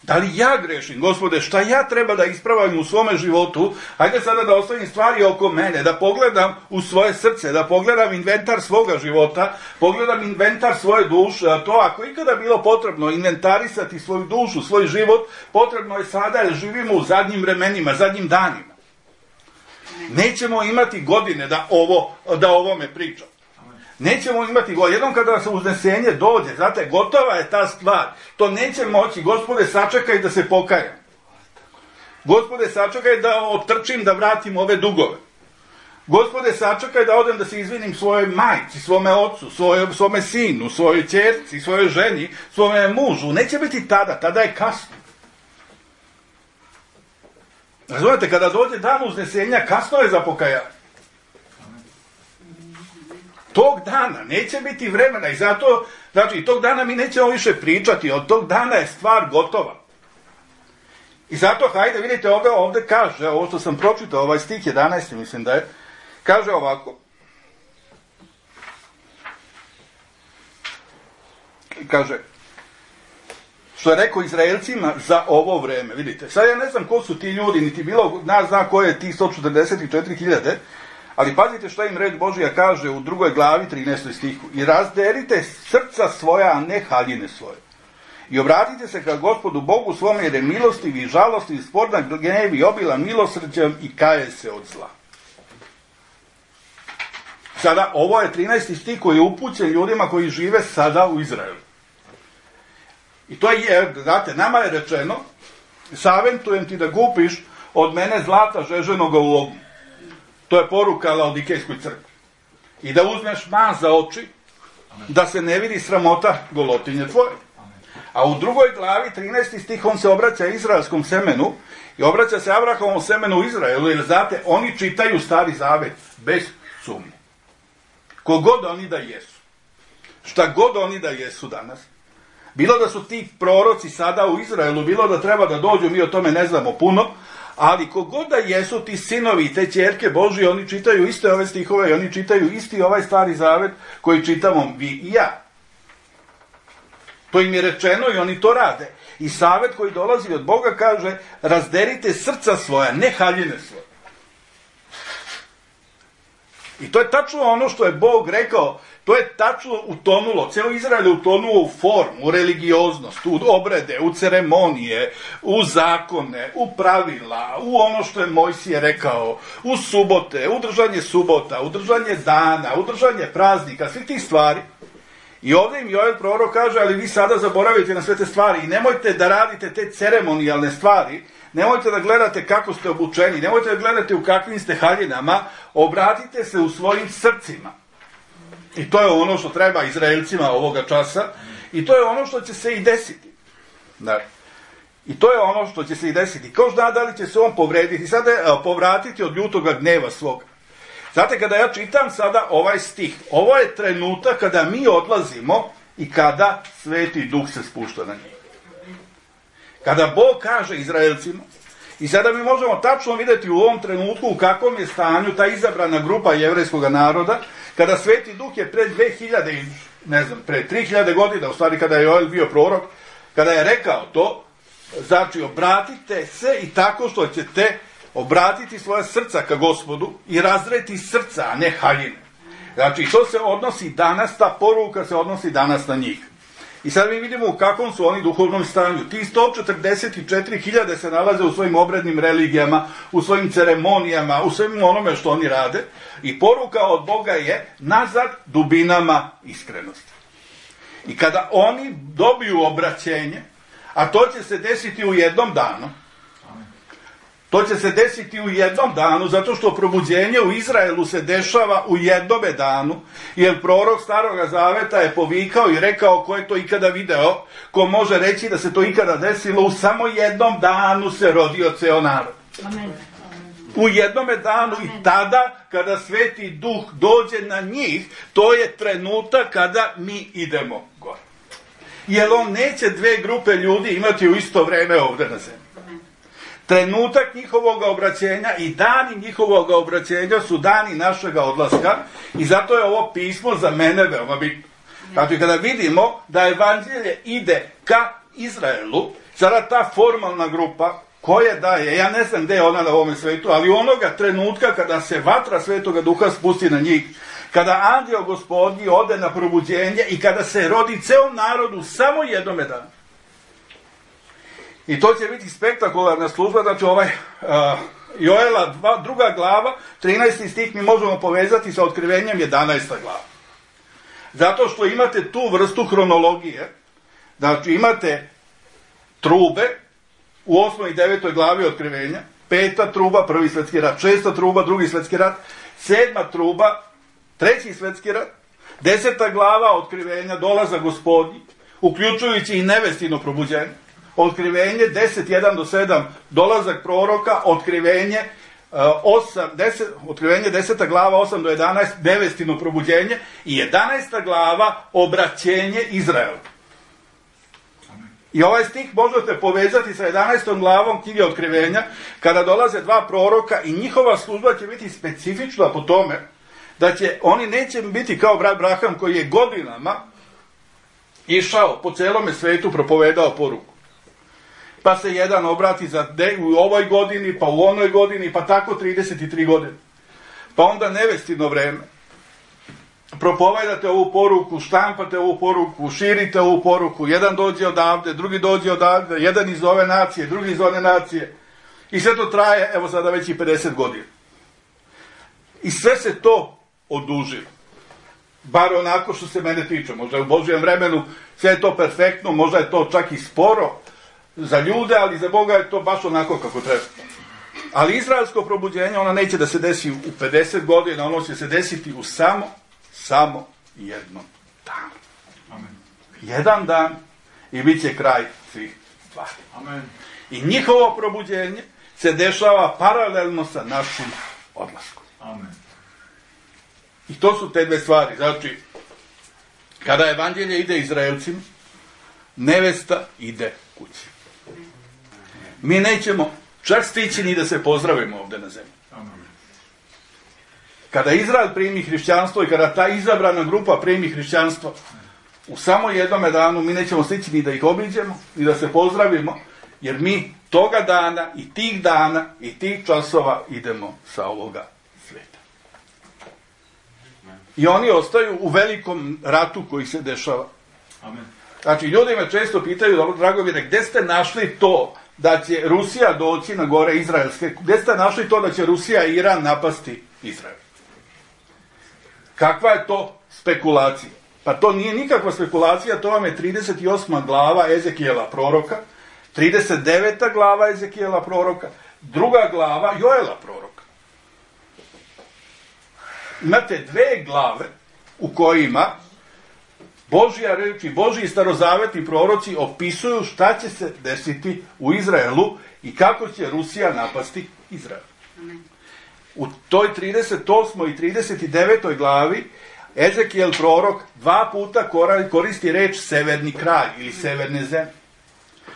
Da li ja grešim, Gospode, šta ja treba da ispravim u svome životu? Hajde sada da ostavim stvari oko mene, da pogledam u svoje srce, da pogledam inventar svoga života, pogledam inventar svoje duše, a to ako ikada bilo potrebno inventarisati svoju dušu, svoj život, potrebno je sada jer živimo u zadnjim vremenima, zadnjim danima. Nećemo imati godine da ovome pričam. Nećemo imati go. Jednom kada se uznesenje dođe, znate, gotova je ta stvar. To neće moći. Gospode, sačekaj da se pokajam. Gospode, sačekaj da otrčim, da vratim ove dugove. Gospode, sačekaj da odem da se izvinim svojoj majci, svome ocu, svome sinu, svojoj ćerci, svojoj ženi, svome mužu. Neće biti tada je kasno. Razumete, kada dođe dan uznesenja, kasno je za pokajanje. Tog dana neće biti vremena i zato, znači, tog dana mi nećemo više pričati, od tog dana je stvar gotova. I zato, hajde, vidite, ovde kaže, ovo što sam pročitao, ovaj stih 11, mislim da je, kaže ovako, kaže, što je rekao Izraelcima za ovo vreme, vidite, sad ja ne znam ko su ti ljudi, niti bilo, nas zna ko je ti 144.000, ali pazite šta im reč Božija kaže u 2. glavi 13. stihu. I razderite srca svoja, a ne haljine svoje. I obratite se ka Gospodu Bogu svome, jer je milostiv i žalostiv, sporna gnev i obilan milosrđem i kaje se od zla. Sada, ovo je 13. stih koji je upućen ljudima koji žive sada u Izraelu. I to je, znate, nama je rečeno, savetujem ti da kupiš od mene zlata žeženoga u ognju. To je poruka Laodikejskoj crkvi. I da uzmeš mas za oči, da se ne vidi sramota golotinje tvoje. A u 2. glavi, 13. stih, on se obraća izraelskom semenu i obraća se Abrahamovom semenu u Izraelu, jer znate, oni čitaju Stari Zavet bez sumnje. Kogod oni da jesu. Šta god oni da jesu danas. Bilo da su ti proroci sada u Izraelu, bilo da treba da dođu, mi o tome ne znamo puno, ali kogod da jesu ti sinovi i te ćerke Božije, oni čitaju iste ove stihove i oni čitaju isti ovaj Stari Zavet koji čitamo vi i ja. To im je rečeno i oni to rade. I savet koji dolazi od Boga kaže, razderite srca svoja, ne haljine svoje. I to je tačno ono što je Bog rekao, to je tačno utonulo, cijelo Izrael je utonuo u formu, u religioznost, u obrede, u ceremonije, u zakone, u pravila, u ono što je Mojsije rekao, u subote, u držanje subota, u držanje dana, u držanje praznika, svih tih stvari. I ovdje im Joel prorok kaže, ali vi sada zaboravite na sve te stvari i nemojte da radite te ceremonijalne stvari, nemojte da gledate kako ste obučeni, nemojte da gledate u kakvim ste haljinama, obratite se u svojim srcima. I to je ono što treba Izraelcima ovoga časa i to je ono što će se i desiti. I to je ono što će se i desiti. Ko zna da li će se on povrediti, sada povratiti od ljutoga gneva svoga. Znate, kada ja čitam sada ovaj stih, ovo je trenutak kada mi odlazimo i kada Sveti Duh se spušta na njih. Kada Bog kaže Izraelcima, i sada mi možemo tačno vidjeti u ovom trenutku u kakvom je stanju ta izabrana grupa jevrejskog naroda, kada Sveti Duh je pred 2000, ne znam, pred 3000 godina, u stvari kada je Joel bio prorok, kada je rekao to, znači obratite se i tako što ćete obratiti svoje srca ka Gospodu i razreti srca, a ne haljine. Znači, to se odnosi danas, ta poruka se odnosi danas na njih. I sad mi vidimo u kakvom su oni duhovnom stanju. Ti 144.000 se nalaze u svojim obrednim religijama, u svojim ceremonijama, u svojim onome što oni rade. I poruka od Boga je nazad dubinama iskrenosti. I kada oni dobiju obraćenje, a to će se desiti u jednom danu, to će se desiti u jednom danu, zato što probuđenje u Izraelu se dešava u jednome danu, jer prorok Staroga Zaveta je povikao i rekao ko je to ikada video, ko može reći da se to ikada desilo, u samo jednom danu se rodio ceo narod. Amen. U jednome danu. Amen. I tada, kada Sveti Duh dođe na njih, to je trenutak kada mi idemo gore. Jer on neće dve grupe ljudi imati u isto vreme ovdje na zemlji. Trenutak njihovog obraćenja i dani njihovog obraćenja su dani našega odlaska i zato je ovo pismo za mene veoma bitno. Znači, kada vidimo da evanđelje ide ka Izraelu, sada ta formalna grupa koja daje, ja ne znam gde je ona na ovome svetu, ali onoga trenutka kada se vatra Svetoga Duha spusti na njih, kada anđeo Gospodnji ode na probuđenje i kada se rodi ceo narod u samo jednome danu. I to će biti spektakularna služba, znači Joela 2. glava, 13. stih mi možemo povezati sa otkrivenjem 11. glava. Zato što imate tu vrstu hronologije, znači imate trube u 8. i 9. glavi otkrivenja, 5. truba, 1. svjetski rat, 6. truba, 2. svjetski rat, 7. truba, 3. svjetski rat, 10. glava otkrivenja, dolazak Gospodnji, uključujući i nevestino probuđenje. Otkrivenje 10:1-7, dolazak proroka, otkrivenje 10. glava 8-11, nevestino probuđenje i 11. glava obraćenje Izraelu. I ovaj stih možete povezati sa 11. glavom knjige otkrivenja, kada dolaze dva proroka i njihova služba će biti specifična po tome da oni neće biti kao brat Braham koji je godinama išao po celome svetu, propovedao poruku. Pa se jedan obrati u ovoj godini, pa u onoj godini, pa tako 33 godine. Pa onda nevestino vreme. Propovedate ovu poruku, štampate ovu poruku, širite ovu poruku, jedan dođe odavde, drugi dođe odavde, jedan iz ove nacije, drugi iz one nacije. I sve to traje, evo sada već i 50 godina. I sve se to odužilo. Bar onako što se mene tiče. Možda je u Božjem vremenu sve je to perfektno, možda je to čak i sporo za ljude, ali za Boga je to baš onako kako treba. Ali izraelsko probuđenje, ono neće da se desi u 50 godina, ono će se desiti u samo jednom danu. Amen. Jedan dan i bit će kraj svih stvari. Amen. I njihovo probuđenje se dešava paralelno sa našim odlaskom. Amen. I to su te dve stvari. Znači, kada evanđelje ide Izraelcima, nevesta ide kući. Mi nećemo čak stići ni da se pozdravimo ovdje na zemlji. Kada Izrael primi hrišćanstvo i kada ta izabrana grupa primi hrišćanstvo, u samo jednome danu mi nećemo stići ni da ih obiđemo, ni da se pozdravimo, jer mi toga dana i tih dana i tih časova idemo sa ovoga sveta. I oni ostaju u velikom ratu koji se dešava. Amen. Znači, ljudi me često pitaju, dragovine, gde ste našli to da će Rusija doći na gore izraelske? Gde ste našli to da će Rusija i Iran napasti Izrael? Kakva je to spekulacija? Pa to nije nikakva spekulacija, to vam je 38. glava Ezekijela proroka, 39. glava Ezekijela proroka, 2. glava Joela proroka. Imate dve glave u kojima Božja reč i Božji starozavetni proroci opisuju šta će se desiti u Izraelu i kako će Rusija napasti Izrael. U toj 38. i 39. glavi Ezekijel prorok 2 puta koristi reč severni kraj ili severne zemlje.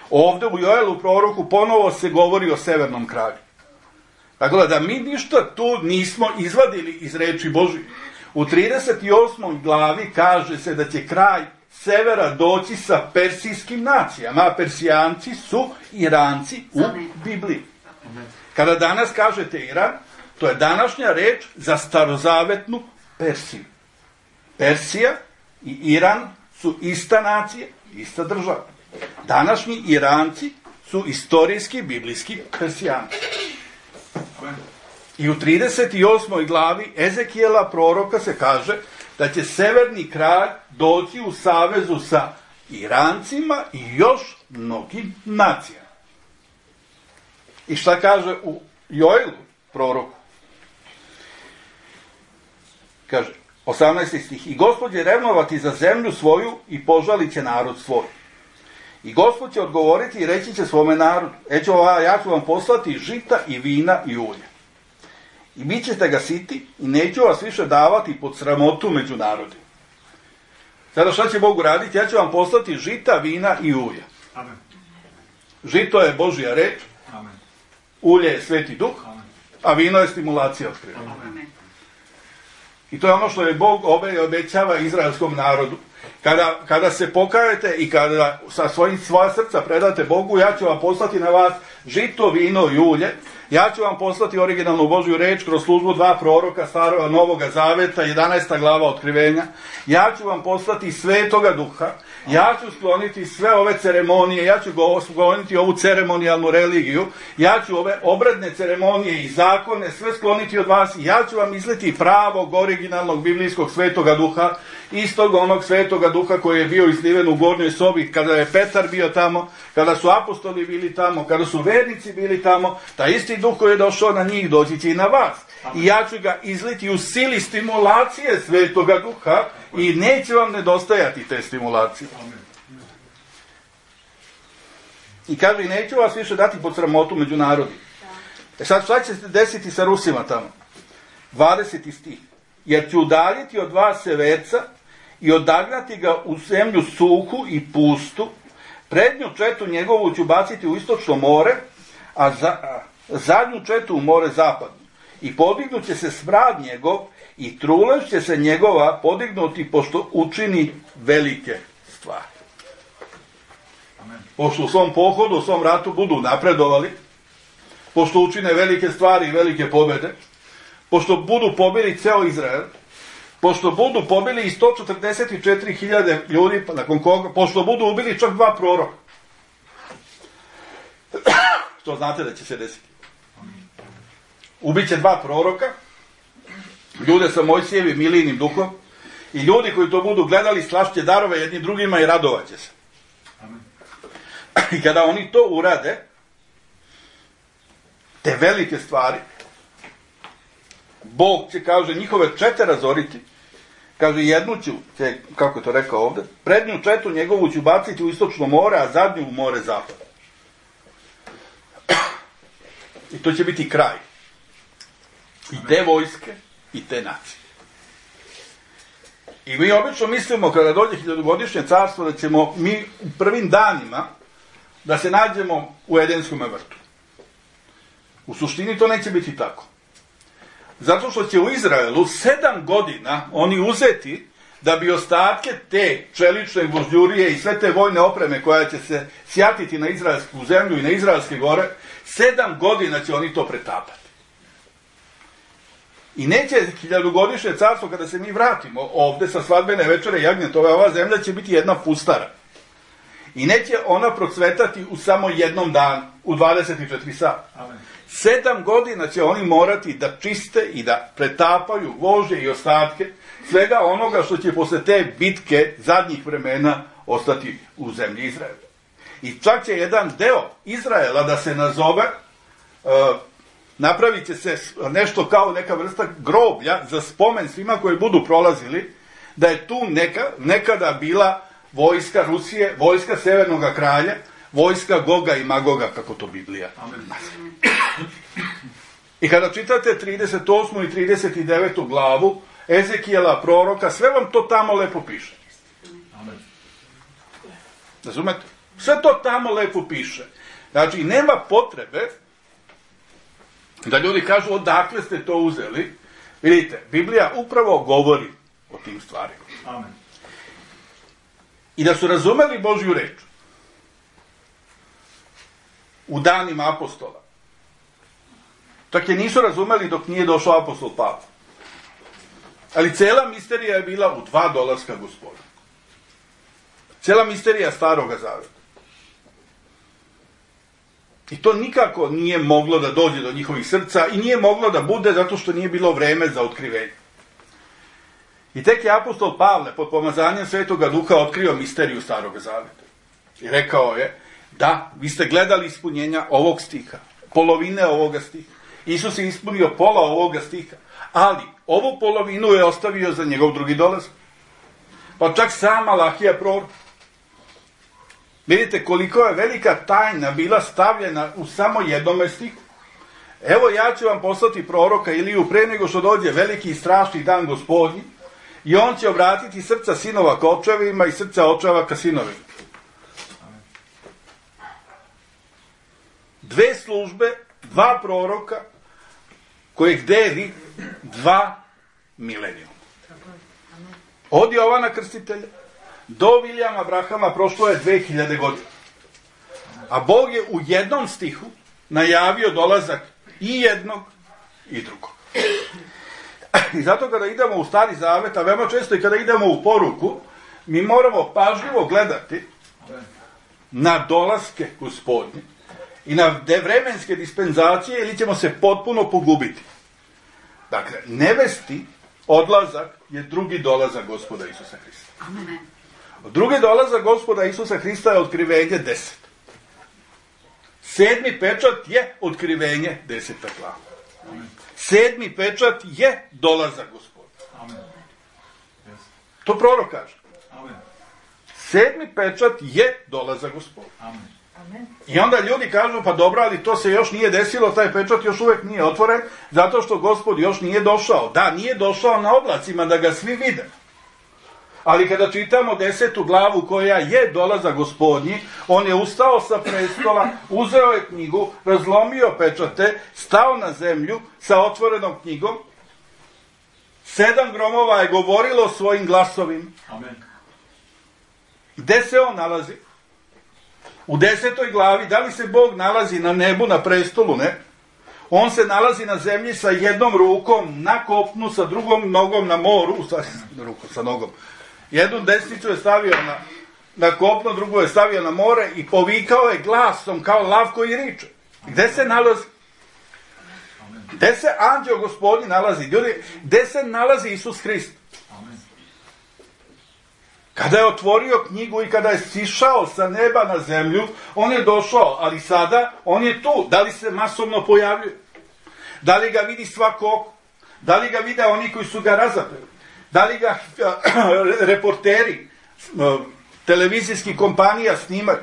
Ovdje u Joelu proroku ponovo se govori o severnom kraju. Tako da mi ništa tu nismo izvadili iz reči Božje. U 38. glavi kaže se da će kraj severa doći sa persijskim nacijama, a Persijanci su Iranci u Bibliji. Kada danas kažete Iran, to je današnja reč za starozavetnu Persiju. Persija i Iran su ista nacija, ista država. Današnji Iranci su istorijski, biblijski Persijanci. I u 38. glavi Ezekijela proroka se kaže da će severni kralj doći u savezu sa Irancima i još mnogim nacijama. I šta kaže u Joelu proroku? Kaže, 18. stih, i Gospod će revnovati za zemlju svoju i požalit će narod svoj. I Gospod će odgovoriti i reći će svome narodu, ja ću vam poslati žita i vina i ulja. I bit ćete ga siti i neću vas više davati pod sramotu među narodima. Sada šta će Bog uraditi? Ja ću vam poslati žita, vina i ulja. Amen. Žito je Božja reč, Amen. ulje je Sveti Duh, Amen. a vino je stimulacija otkrivanja. Amen. I to je ono što je Bog obećava izraelskom narodu. Kada se pokajete i kada svoja srca predate Bogu, ja ću vam poslati na vas žito, vino i ulje. Ja ću vam poslati originalnu Božju reč kroz službu 2 proroka Starog Novoga Zaveta, 11. glava Otkrivenja. Ja ću vam poslati Svetoga Duha. Ja ću skloniti sve ove ceremonije, ja ću skloniti ovu ceremonijalnu religiju, ja ću ove obredne ceremonije i zakone sve skloniti od vas i ja ću vam izliti pravog, originalnog, biblijskog Svetoga Duha, istog onog Svetoga Duha koji je bio izliven u gornjoj sobi kada je Petar bio tamo, kada su apostoli bili tamo, kada su vernici bili tamo, taj isti Duh koji je došao na njih doći će i na vas. I ja ću ga izliti u sili stimulacije Svetoga Duha i neće vam nedostajati te stimulacije. I kaže, i neću vas više dati pod sramotu među narodima. Sad šta će se desiti sa Rusima tamo? 20. stih. Jer ću udaljiti od vas severca i odagnati ga u zemlju suhu i pustu, prednju četu njegovu ću baciti u istočno more, a zadnju četu u more zapadno. I podignut će se smrad njegov i trulež će se njegova podignuti pošto učini velike stvari. Amen. Pošto u svom pohodu, u svom ratu budu napredovali, pošto učine velike stvari i velike pobjede, pošto budu pobili ceo Izrael, pošto budu pobili i 144.000 ljudi, nakon koga, pošto budu ubili čak 2 proroka. Što znate da će se desiti. Ubiće 2 proroka, ljude sa Mojsijevim Milijinim duhom, i ljudi koji to budu gledali slašće darove jedni drugima i radovaće se. Amen. I kada oni to urade, te velike stvari, Bog će, kaže, njihove čete razoriti, kaže, jednu ću, kako je to rekao ovde, prednju četu njegovu ću baciti u istočno more, a zadnju u more zapad. I to će biti kraj. I te vojske, i te nacije. I mi obično mislimo, kada dođe 1000-godišnje carstvo, da ćemo mi u prvim danima da se nađemo u Edenskom vrtu. U suštini to neće biti tako. Zato što će u Izraelu 7 godina oni uzeti da bi ostatke te čelične gvožđurije i sve te vojne opreme koja će se sjatiti na izraelsku zemlju i na izraelske gore, 7 godina će oni to pretapati. I neće 1000-godišnje carstvo, kada se mi vratimo ovde sa svadbene večere jagnjetove, ova zemlja će biti jedna pustara. I neće ona procvetati u samo jednom danu, u 24 sata. Amen. 7 godina će oni morati da čiste i da pretapaju gvožđe i ostatke svega onoga što će posle te bitke zadnjih vremena ostati u zemlji Izraela. I čak će jedan deo Izraela da se nazove, napravit će se nešto kao neka vrsta groblja za spomen svima koji budu prolazili, da je tu nekada bila vojska Rusije, vojska Severnog kralja, vojska Goga i Magoga, kako to Biblija. Amen. I kada čitate 38. i 39. glavu Ezekijela proroka, sve vam to tamo lepo piše. Amen. Razumete? Sve to tamo lepo piše. Znači, nema potrebe da ljudi kažu odakle ste to uzeli. Vidite, Biblija upravo govori o tim stvarima. Amen. I da su razumeli Božju reč u danima apostola, čak je nisu razumeli dok nije došao apostol Pavle. Ali cela misterija je bila u $2 Gospoda. Cijela misterija Staroga Zaveta. I to nikako nije moglo da dođe do njihovih srca i nije moglo da bude zato što nije bilo vreme za otkrivenje. I tek je apostol Pavle pod pomazanjem Svetoga Duha otkrio misteriju Staroga Zaveta. I rekao je, da, vi ste gledali ispunjenja ovog stiha, polovine ovoga stiha. Isus je ispunio pola ovoga stiha, ali ovu polovinu je ostavio za njegov drugi dolazak. Pa čak sam Malahija prorok. Vidite koliko je velika tajna bila stavljena u samo jednom stihu. Evo ja ću vam poslati proroka Iliju pre nego što dođe veliki i strašni dan Gospodnji i on će obratiti srca sinova ka očevima i srca očeva ka sinovima. Dve službe, dva proroka kojeg deli dva milenijuma. Od Jovana Krstitelja do Vilijama Abrahama prošlo je 2000 godina. A Bog je u jednom stihu najavio dolazak i jednog i drugog. I zato kada idemo u Stari Zavet, a veoma često i kada idemo u poruku, mi moramo pažljivo gledati na dolaske Gospodnje i na vremenske dispenzacije ili ćemo se potpuno pogubiti. Dakle, nevesti odlazak je drugi dolazak Gospoda Isusa Hrista. Amen. Drugi dolazak Gospoda Isusa Hrista je otkrivenje 10. 7. pečat je otkrivenje 10. glava. 7. pečat je dolazak Gospoda. Amen. To prorok kaže. Amen. 7. pečat je dolazak Gospoda. Amen. I onda ljudi kažu, pa dobro, ali to se još nije desilo, taj pečat još uvek nije otvoren, zato što Gospod još nije došao. Da, nije došao na oblacima da ga svi vide. Ali kada čitamo 10. glavu koja je dolazak Gospodnji, on je ustao sa prestola, uzeo je knjigu, razlomio pečate, stao na zemlju sa otvorenom knjigom. 7 gromova je govorilo svojim glasovima. Amen. Gde se on nalazi? U 10. glavi, da li se Bog nalazi na nebu, na prestolu? Ne. On se nalazi na zemlji sa jednom rukom na kopnu, sa drugom nogom na moru, sa nogom. Jednu desnicu je stavio na kopno, drugu je stavio na more i povikao je glasom kao lav koji riče. Gde se nalazi? Gde se anđeo Gospodnji nalazi? Ljudi, gde se nalazi Isus Hrist? Kada je otvorio knjigu i kada je sišao sa neba na zemlju, on je došao, ali sada on je tu. Da li se masovno pojavljuje? Da li ga vidi svako oko? Da li ga vide oni koji su ga razapeli? Da li ga reporteri televizijskih kompanija snimaju?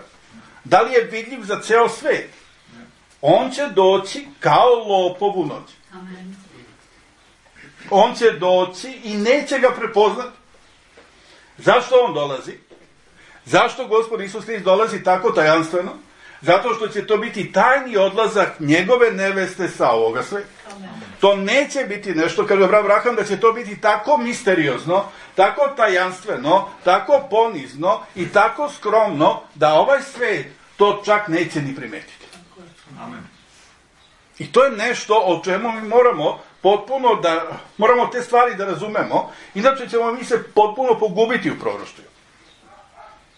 Da li je vidljiv za ceo svet? On će doći kao lopov u noć. On će doći i neće ga prepoznati. Zašto on dolazi? Zašto Gospod Isus Hrist dolazi tako tajanstveno? Zato što će to biti tajni odlazak njegove neveste sa ovoga sveta. To neće biti nešto, kaže Abraham, da će to biti tako misteriozno, tako tajanstveno, tako ponizno i tako skromno, da ovaj svet to čak neće ni primetiti. Amen. I to je nešto o čemu mi moramo potpuno moramo te stvari da razumemo, inače ćemo mi se potpuno pogubiti u proroštvu.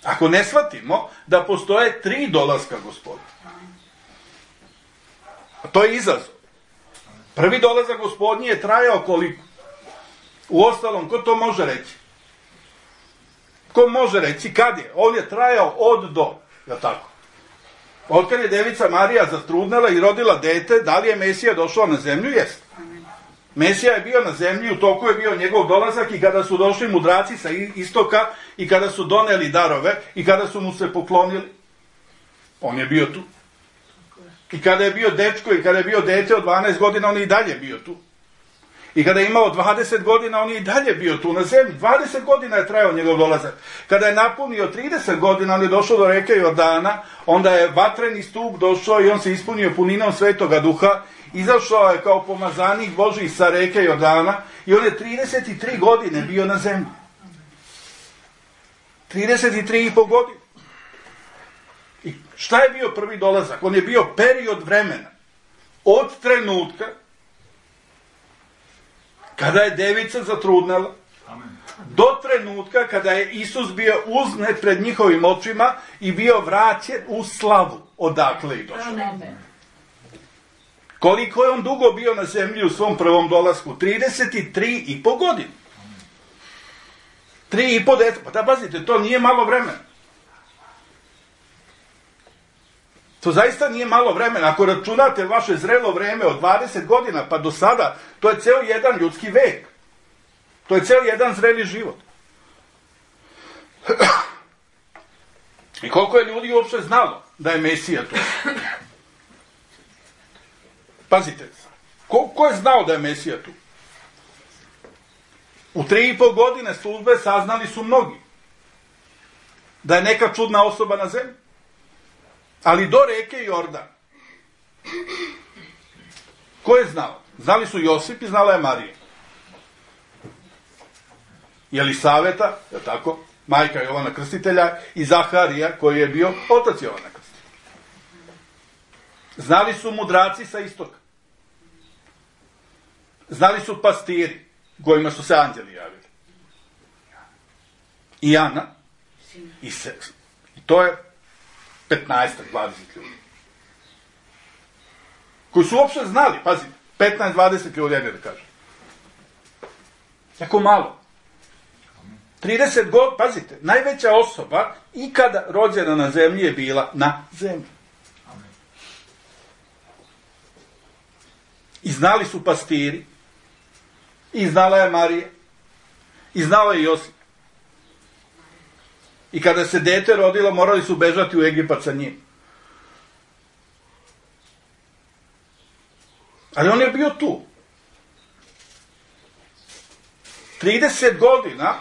Ako ne shvatimo da postoje 3 dolaska Gospoda. A to je izazov. Prvi dolazak Gospodnji je trajao koliko? Uostalom, ko to može reći? Ko može reći kad je? On je trajao od do. Je tako? Otkad je devica Marija zatrudnela i rodila dete, da li je Mesija došao na zemlju? Jeste. Mesija je bio na zemlji, u toku je bio njegov dolazak i kada su došli mudraci sa istoka i kada su doneli darove i kada su mu se poklonili, on je bio tu. I kada je bio dečko i kada je bio dete od 12 godina, on je i dalje bio tu. I kada je imao 20 godina, on je i dalje bio tu na zemlji. 20 godina je trajao njegov dolazak. Kada je napunio 30 godina, on je došao do reke Jordana, onda je vatreni stup došao i on se ispunio puninom Svetoga Duha. Izašao je kao pomazanik Božji sa reke Jordana i on je 33 godine bio na zemlji. 33,5 godine. I šta je bio prvi dolazak? On je bio period vremena. Od trenutka kada je devica zatrudnela, do trenutka kada je Isus bio uznet pred njihovim očima i bio vraćen u slavu, odakle i došao. Koliko je on dugo bio na zemlji u svom prvom dolasku? 33,5 godine. 3,5 deca. Pa da pazite, to nije malo vremena. To zaista nije malo vremena. Ako računate vaše zrelo vreme od 20 godina pa do sada, to je ceo jedan ljudski vek. To je ceo jedan zreli život. I koliko je ljudi uopšte znalo da je Mesija tu? Pazite, ko je znao da je Mesija tu? U 3,5 godine službe saznali su mnogi da je neka čudna osoba na zemlji. Ali do reke Jordan. Ko je znao? Znali su Josip i znala je Marija. Jelisaveta, je tako, majka Jovana Krstitelja, i Zaharija, koji je bio otac Jovana Krstitelja. Znali su mudraci sa istoka. Znali su pastiri, kojima su se anđeli javili. I Ana, i Seks. I to je 15-20 ljudi. Koji su uopšte znali, pazite, 15-20 ljudi, ajde da kažem. Jako malo. 30 godina, pazite, najveća osoba ikada rođena na zemlji je bila na zemlji. I znali su pastiri, i znala je Marija, i znao je Josip. I kada se dete rodilo, morali su bežati u Egipat sa njim. Ali on je bio tu. 30 godina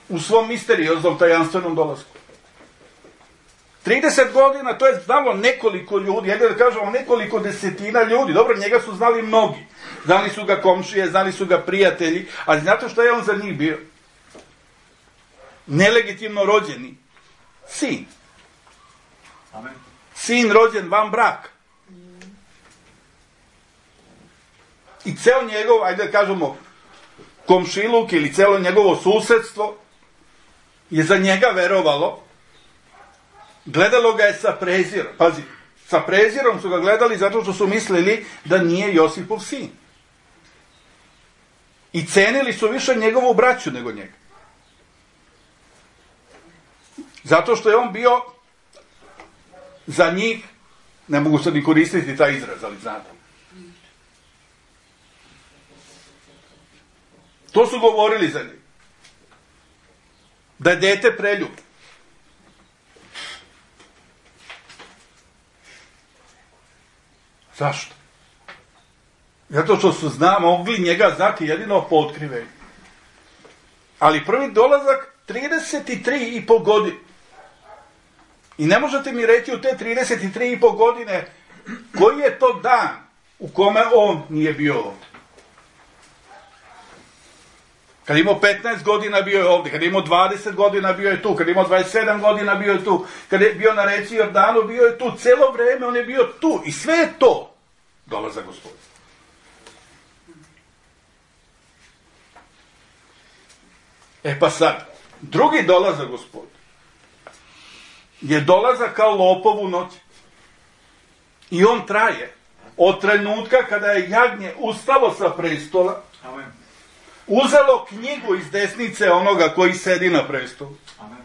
u svom misterioznom tajanstvenom dolasku. 30 godina, to je znalo nekoliko ljudi, jedno da kažemo nekoliko desetina ljudi. Dobro, njega su znali mnogi. Znali su ga komšije, znali su ga prijatelji, ali znate što je on za njih bio? Nelegitimno rođeni sin. Amen. Sin rođen van braka. I ceo njegov, ajde da kažemo, komšiluk ili celo njegovo susedstvo je za njega verovalo. Gledalo ga je sa prezirom. Pazi, sa prezirom su ga gledali zato što su mislili da nije Josipov sin. I cenili su više njegovu braću nego njega. Zato što je on bio za njih, ne mogu sad ni koristiti taj izraz, ali znate. To su govorili za njih. Da je dete preljub. Zašto? Zato što su mogli njega znati jedino po otkrivenju. Ali prvi dolazak 33,5 godine. I ne možete mi reći u te 33,5 godine koji je to dan u kome on nije bio ovdje. Kad je imao 15 godina bio je ovdje, kad je imao 20 godina bio je tu, kad je imao 27 godina bio je tu, kad je bio na reci Jordanu bio je tu, celo vreme on je bio tu. I sve je to dolazak Gospoda. E pa sad, drugi dolazak Gospoda je dolazak kao lopov u noći. I on traje od trenutka kada je jagnje ustalo sa prestola, Amen. uzelo knjigu iz desnice onoga koji sedi na prestolu, Amen.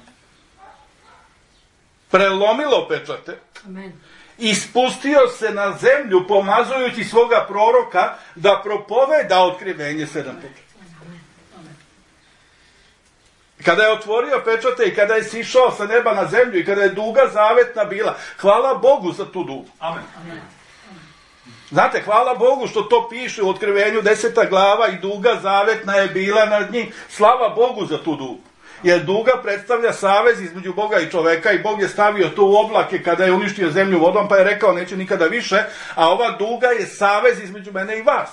prelomilo pečate, Amen. i spustio se na zemlju pomazujući svoga proroka da propoveda otkrivenje 7 pečata. Kada je otvorio pečate i kada je sišao sa neba na zemlju i kada je duga zavetna bila, hvala Bogu za tu dugu. Amen. Znate, hvala Bogu što to piše u Otkrivenju 10. glava i duga zavetna je bila nad njim. Slava Bogu za tu dugu. Jer duga predstavlja savez između Boga i čoveka i Bog je stavio to u oblake kada je uništio zemlju vodom pa je rekao neće nikada više, a ova duga je savez između mene i vas.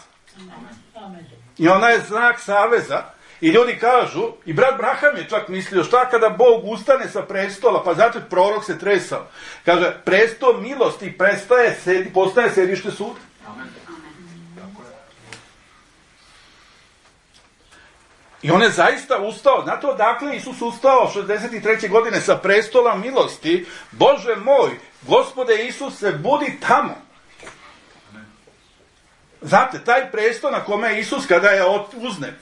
I ona je znak saveza. I ljudi kažu, i brat Braham je čak mislio, šta kada Bog ustane sa prestola, pa zato prorok se tresao. Kaže, prestol milosti postaje sedište suda. Amen. Tako je. I on je zaista ustao. Znate odakle Isus ustao 63. godine sa prestola milosti? Bože moj, Gospode Isuse, budi tamo. Znate, taj prestol na kome je Isus kada je uznet.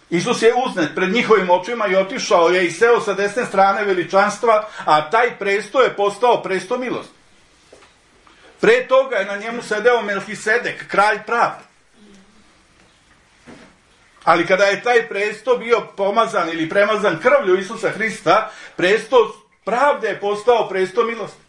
Isus je uznet pred njihovim očima i otišao je i seo sa desne strane veličanstva, a taj presto je postao presto milosti. Pre toga je na njemu sedeo Melhisedek, kralj pravde. Ali kada je taj presto bio pomazan ili premazan krvlju Isusa Hrista, presto pravde je postao presto milosti.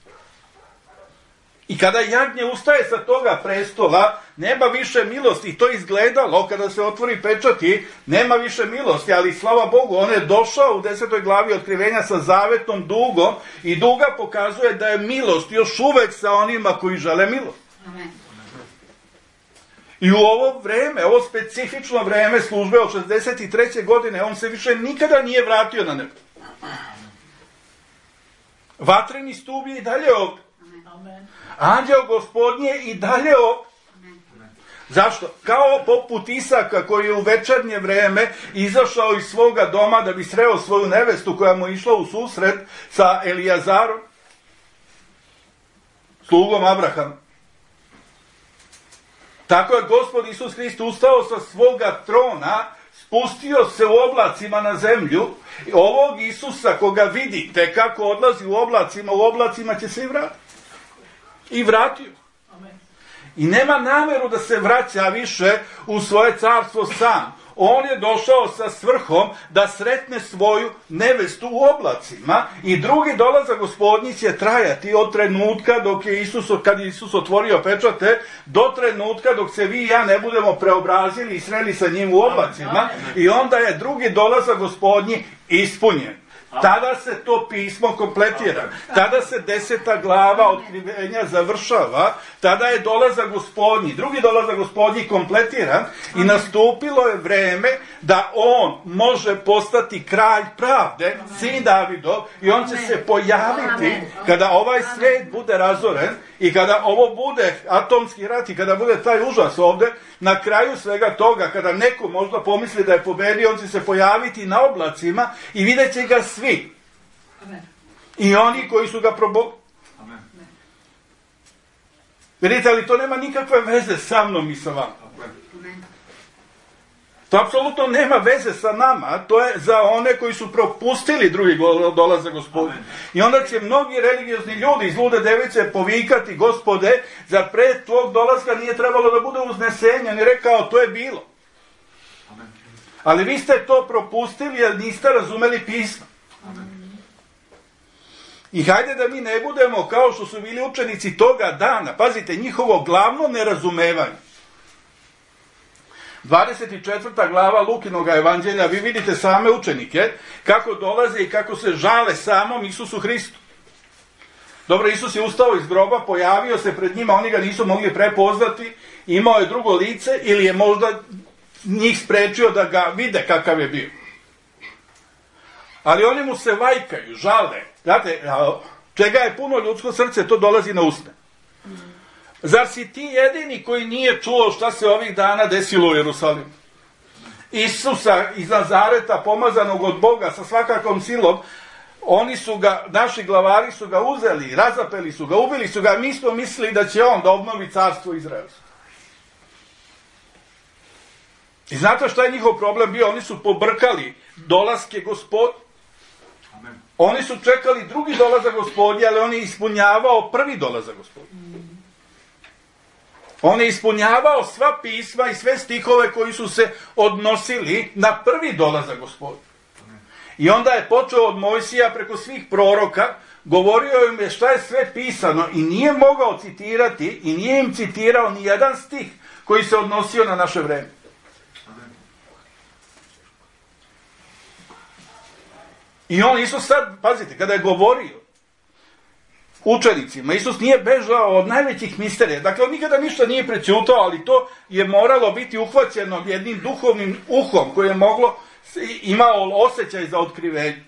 I kada jagnje ustaje sa toga prestola, nema više milosti. I to je izgledalo, kada se otvori pečati, nema više milosti. Ali slava Bogu, on je došao u 10. glavi Otkrivenja sa zavetnom dugom i duga pokazuje da je milost još uvek sa onima koji žele milost. Amen. I u ovo vreme, ovo specifično vreme službe od 63. godine, on se više nikada nije vratio na nebo. Vatreni stup je i dalje ovdje. Anđeo Gospodnje i dalje ovdje. Zašto? Kao poput Isaka koji je u večernje vreme izašao iz svoga doma da bi sreo svoju nevestu koja mu išla u susret sa Elijazarom, slugom Abrahama. Tako je Gospod Isus Hrist ustao sa svoga trona, spustio se u oblacima na zemlju. Ovog Isusa koga vidite kako odlazi u oblacima će se i vratiti. I vratio. I nema nameru da se vraća više u svoje carstvo sam. On je došao sa svrhom da sretne svoju nevestu u oblacima i drugi dolazak Gospodnji će trajati od trenutka dok je kad je Isus otvorio pečate, do trenutka dok se vi i ja ne budemo preobrazili i sreli sa njim u oblacima i onda je drugi dolazak Gospodnji ispunjen. Tada se to pismo kompletira. Tada se 10. glava Otkrivenja završava. Tada je dolazak Gospodnji, drugi dolazak Gospodnji kompletiran i nastupilo je vreme da on može postati kralj pravde, sin Davidov, i on će se pojaviti kada ovaj svet bude razoren i kada ovo bude atomski rat i kada bude taj užas ovde, na kraju svega toga, kada neko možda pomisli da je pobedio, on će se pojaviti na oblacima i vidjet će ga svi. Amen. I oni koji su ga probogli. Vidite, ali to nema nikakve veze sa mnom i sa vama. Amen. To apsolutno nema veze sa nama, to je za one koji su propustili drugi dolazak Gospodnji. I onda će mnogi religiozni ljudi iz lude device povikati: Gospode, za pre tvog dolaska nije trebalo da bude uznesenje. On je rekao, to je bilo. Amen. Ali vi ste to propustili jer niste razumeli pismo. Amen. I hajde da mi ne budemo kao što su bili učenici toga dana. Pazite, njihovo glavno nerazumevanje. 24. glava Lukinoga evanđelja, vi vidite same učenike kako dolaze i kako se žale samom Isusu Hristu. Dobro, Isus je ustao iz groba, pojavio se pred njima, oni ga nisu mogli prepoznati, imao je drugo lice ili je možda njih sprečio da ga vide kakav je bio. Ali oni mu se vajkaju, žale. Znate, čega je puno ljudsko srce, to dolazi na usne. Zar si ti jedini koji nije čuo šta se ovih dana desilo u Jerusalimu? Isusa iz Nazareta, pomazanog od Boga sa svakakom silom, oni su ga, naši glavari su ga uzeli, razapeli su ga, ubili su ga, mi smo mislili da će on da obnovi carstvo izraelsko. I znate šta je njihov problem bio? Oni su pobrkali dolaske Gospodnje. Oni su čekali drugi dolazak Gospodnji, ali on je ispunjavao prvi dolazak Gospodnji. On je ispunjavao sva pisma i sve stihove koji su se odnosili na prvi dolazak Gospodnji. I onda je počeo od Mojsija preko svih proroka, govorio im je šta je sve pisano i nije mogao citirati i nije im citirao ni jedan stih koji se odnosio na naše vreme. I on, Isus sad, pazite, kada je govorio učenicima, Isus nije bežao od najvećih misterija. Dakle, on nikada ništa nije prećutao, ali to je moralo biti uhvaćeno jednim duhovnim uhom koje je imao osjećaj za otkrivenje.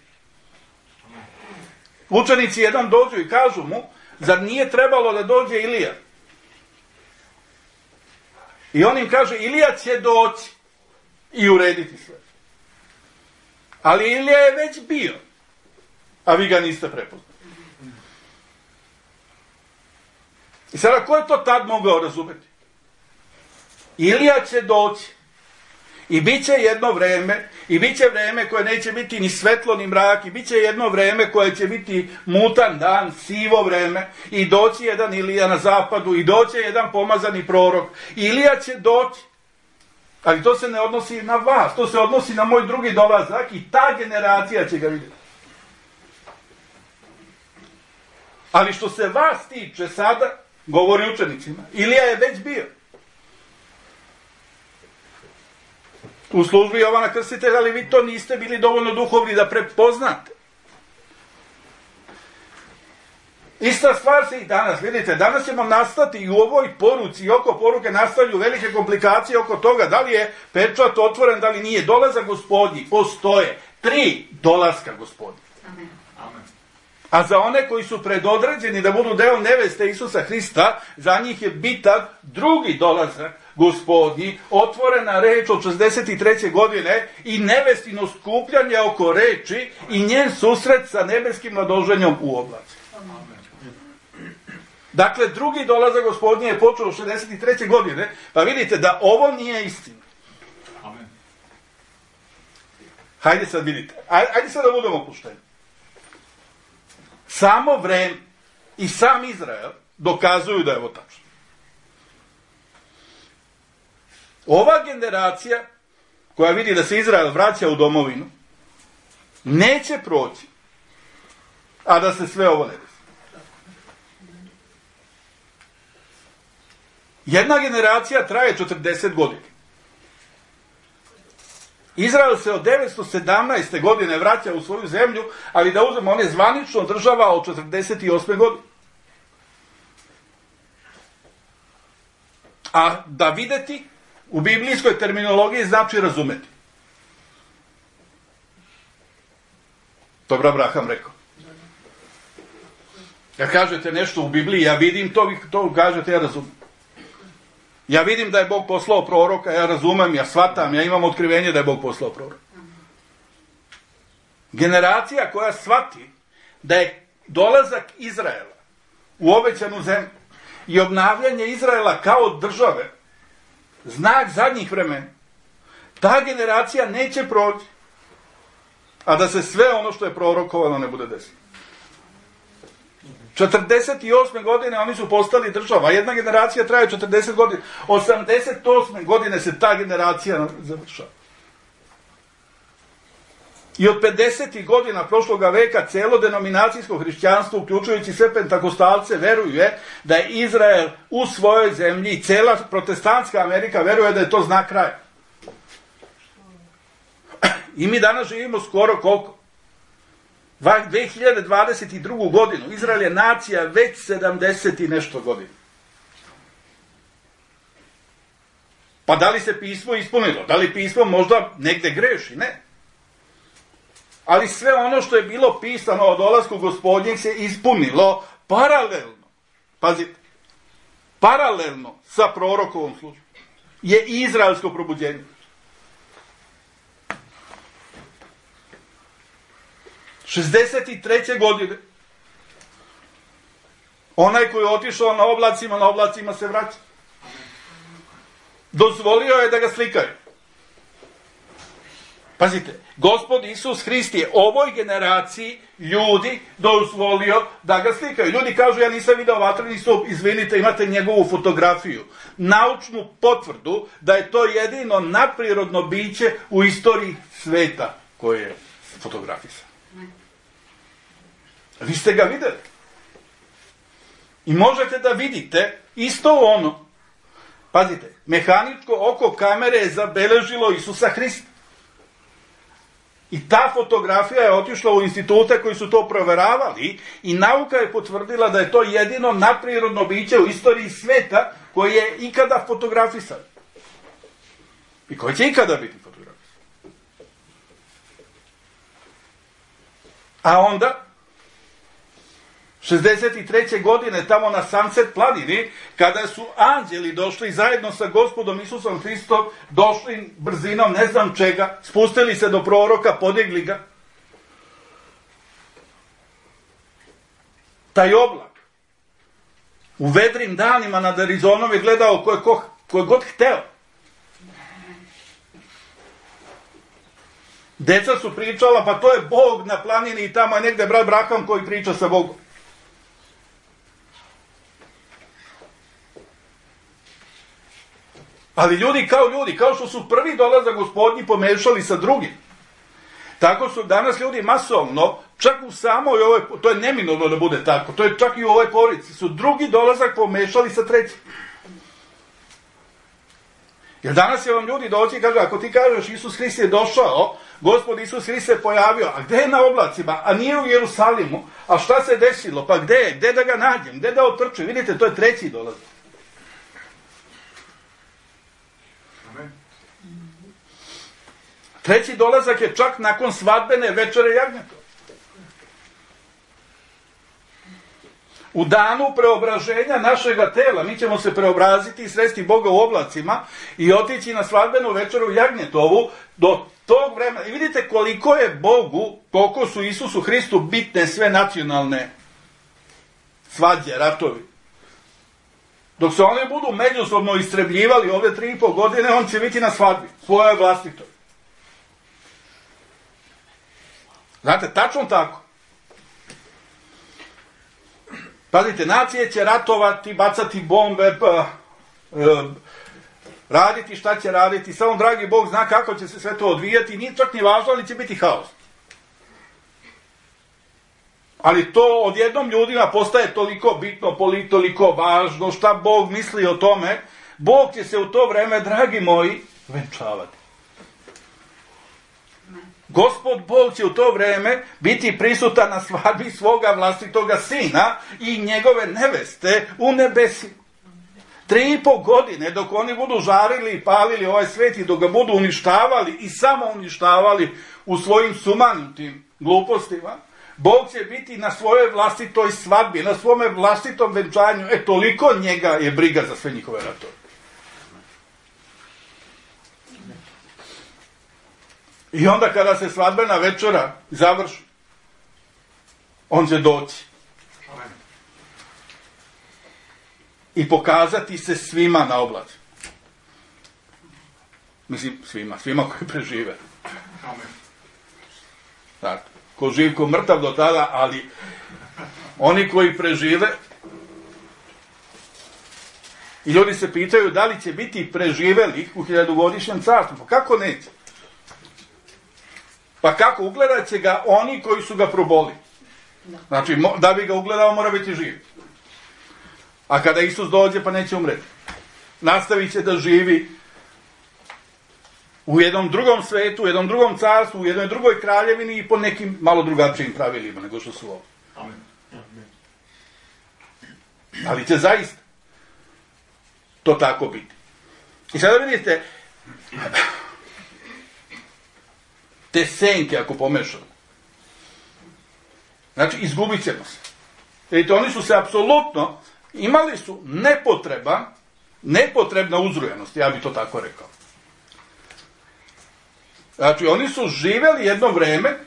Učenici jedan dođu i kažu mu, zar nije trebalo da dođe Ilija? I on im kaže, Ilija će doći. i urediti sve. Ali Ilija je već bio, a vi ga niste prepoznali. I sada, ko je to tad mogao razumjeti? Ilija će doći i bit će jedno vreme, i bit će vreme koje neće biti ni svetlo ni mrak, i bit će jedno vreme koje će biti mutan dan, sivo vreme, i doći jedan Ilija na zapadu, i doći jedan pomazani prorok. Ilija će doći, ali to se ne odnosi na vas, to se odnosi na moj drugi dolazak, i ta generacija će ga vidjeti. Ali što se vas tiče sada, govori učenicima, Ilija je već bio u službi Jovana Krstitelja, ali vi to niste bili dovoljno duhovni da prepoznate. Ista stvar se i danas, vidite, danas ćemo nastati i u ovoj poruci, i oko poruke nastaju velike komplikacije oko toga, da li je pečat otvoren, da li nije. Dolazak Gospodnji, postoje 3 dolaska Gospodnji. Amen. A za one koji su predodređeni da budu deo neveste Isusa Hrista, za njih je bitan drugi dolazak Gospodnji, otvorena reč od 63. godine i nevestino skupljanje oko reči i njen susret sa nebeskim mladoženjom u oblaci. Dakle, drugi dolazak Gospodnji je počeo od 63. godine, pa vidite da ovo nije istina. Amen. Hajde sad vidite, ajde sad da budemo opušteni. Samo vreme i sam Izrael dokazuju da je ovo tačno. Ova generacija koja vidi da se Izrael vraća u domovinu neće proći, a da se sve ovo ne desi. Jedna generacija traje 40 godina. Izrael se od 917. godine vraća u svoju zemlju, ali da uzmemo, on je zvanično država od 48. godine. A da videti u biblijskoj terminologiji znači razumeti. Dobro Abraham rekao. Kad kažete nešto u Bibliji, ja vidim to, vi to kažete, ja razumem. Ja vidim da je Bog poslao proroka, ja razumem, ja shvatam, ja imam otkrivenje da je Bog poslao proroka. Generacija koja shvati da je dolazak Izraela u obećanu zemlju i obnavljanje Izraela kao države znak zadnjih vremena, ta generacija neće proći, a da se sve ono što je prorokovano ne bude desilo. 48. godine oni su postali država. Jedna generacija traje 40 godina. 88. godine se ta generacija završava. I od 50. godina prošloga veka celo denominacijsko hrišćanstvo, uključujući sve pentakostalce, veruje da je Izrael u svojoj zemlji i cela protestantska Amerika veruje da je to znak kraja. I mi danas živimo skoro koliko? 2022. godinu. Izrael je nacija već 70 i nešto godina. Pa da li se pismo ispunilo? Da li pismo možda negde greši? Ne. Ali sve ono što je bilo pisano o dolasku Gospodnjeg se ispunilo paralelno. Pazite. Paralelno sa prorokovom službom je izraelsko probuđenje. 63. godine onaj koji je otišao na oblacima se vraća. Dozvolio je da ga slikaju. Pazite, Gospod Isus Hrist je ovoj generaciji ljudi dozvolio da ga slikaju. Ljudi kažu, ja nisam video vatreni stup, izvinite, imate njegovu fotografiju. Naučnu potvrdu da je to jedino nadprirodno biće u istoriji sveta koje je fotografisano. Vi ste ga vidjeli. I možete da vidite isto ono. Pazite, mehaničko oko kamere je zabeležilo Isusa Hrista. I ta fotografija je otišla u institute koji su to proveravali i nauka je potvrdila da je to jedino nadprirodno biće u istoriji sveta koje je ikada fotografisan. I koje će ikada biti fotografisan. A onda 63. godine tamo na Sunset planini, kada su anđeli došli zajedno sa Gospodom Isusom Hristom, došli brzinom ne znam čega, spustili se do proroka, podigli ga. Taj oblak u vedrim danima nad Arizonom je gledao ko je god hteo. Deca su pričala, pa to je Bog na planini i tamo je negde brat Braham koji priča sa Bogom. Ali ljudi, kao što su prvi dolazak Gospodnji pomešali sa drugim, tako su danas ljudi masovno, čak u samoj ovoj, to je neminovno da bude tako, to je čak i u ovoj porodici, su drugi dolazak pomešali sa trećim. Jer danas je vam ljudi doći i kažu, ako ti kažeš Isus Hrist je došao, Gospod Isus Hrist se pojavio, a gde je na oblacima, a nije u Jerusalimu, a šta se desilo, pa gde je, gde da ga nađem, gde da otrčem, vidite, to je treći dolazak. Treći dolazak je čak nakon svadbene večere jagnjeta. U danu preobraženja našega tela mi ćemo se preobraziti i sresti Boga u oblacima i otići na svadbenu večeru jagnjetovu do tog vremena. I vidite koliko je Bogu, koliko su Isusu Hristu bitne sve nacionalne svađe, ratovi. Dok se oni budu međusobno istrebljivali ove 3,5 godine, on će biti na svadbi, svojoj vlastitoj. Znate, tačno tako. Pazite, nacije će ratovati, bacati bombe, raditi šta će raditi, samo dragi Bog zna kako će se sve to odvijati, nije čak ni važno, ali će biti haos. Ali to odjednom ljudima postaje toliko bitno, toliko važno, šta Bog misli o tome, Bog će se u to vreme, dragi moji, venčavati. Gospod Bog će u to vreme biti prisutan na svadbi svoga vlastitoga sina i njegove neveste u nebesima. 3,5 godine dok oni budu žarili i palili ovaj svet i dok ga budu uništavali i samo uništavali u svojim sumanutim glupostima, Bog će biti na svojoj vlastitoj svadbi, na svome vlastitom venčanju. Toliko njega je briga za sve njihove ratove. I onda kada se svadbena večera završi, on će doći i pokazati se svima na oblaci. Mislim, svima koji prežive. Tako, ko živ, ko mrtav do tada, ali oni koji prežive, i ljudi se pitaju da li će biti preživeli u 1000-godišnjem carstvu. Pa kako neće? Pa kako, ugledat će ga oni koji su ga proboli. Znači, da bi ga ugledao mora biti živ. A kada Isus dođe pa neće umreti. Nastavit će da živi u jednom drugom svetu, u jednom drugom carstvu, u jednoj drugoj kraljevini i po nekim malo drugačijim pravilima nego što su ovo. Amen. Ali će zaista to tako biti. I sada vidite, te senke ako pomešamo, znači izgubit ćemo se. Vidite, oni su se apsolutno, imali su nepotrebna uzrujanost, ja bih to tako rekao. Znači, oni su živeli jedno vreme,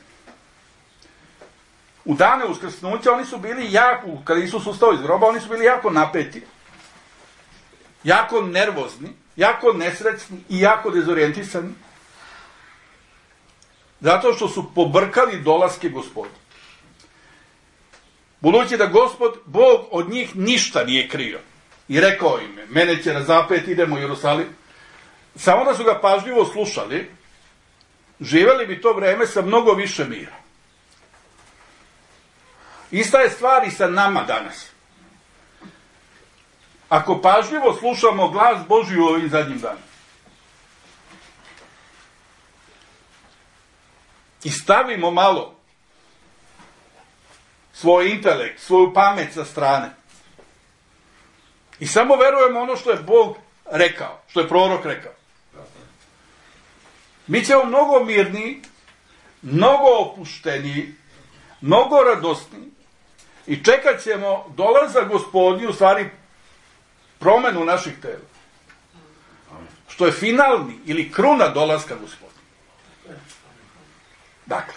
u dane uskrsnuća, oni su bili jako, kada Isus ustao iz groba, oni su bili jako napeti, jako nervozni, jako nesrećni i jako dezorijentisani, zato što su pobrkali dolaske Gospoda. Budući da Gospod, Bog od njih ništa nije krio. I rekao im je, mene će razapeti, idemo u Jerusalim. Samo da su ga pažljivo slušali, živeli bi to vreme sa mnogo više mira. Ista je stvar i sa nama danas. Ako pažljivo slušamo glas Božji u ovim zadnjim danima i stavimo malo svoj intelekt, svoju pamet sa strane i samo verujemo ono što je Bog rekao, što je prorok rekao, mi ćemo mnogo mirniji, mnogo opušteniji, mnogo radosniji I čekat ćemo dolazak Gospodnji, u stvari promenu naših tela. Što je finalni ili kruna dolaska Gospodnji. Dakle,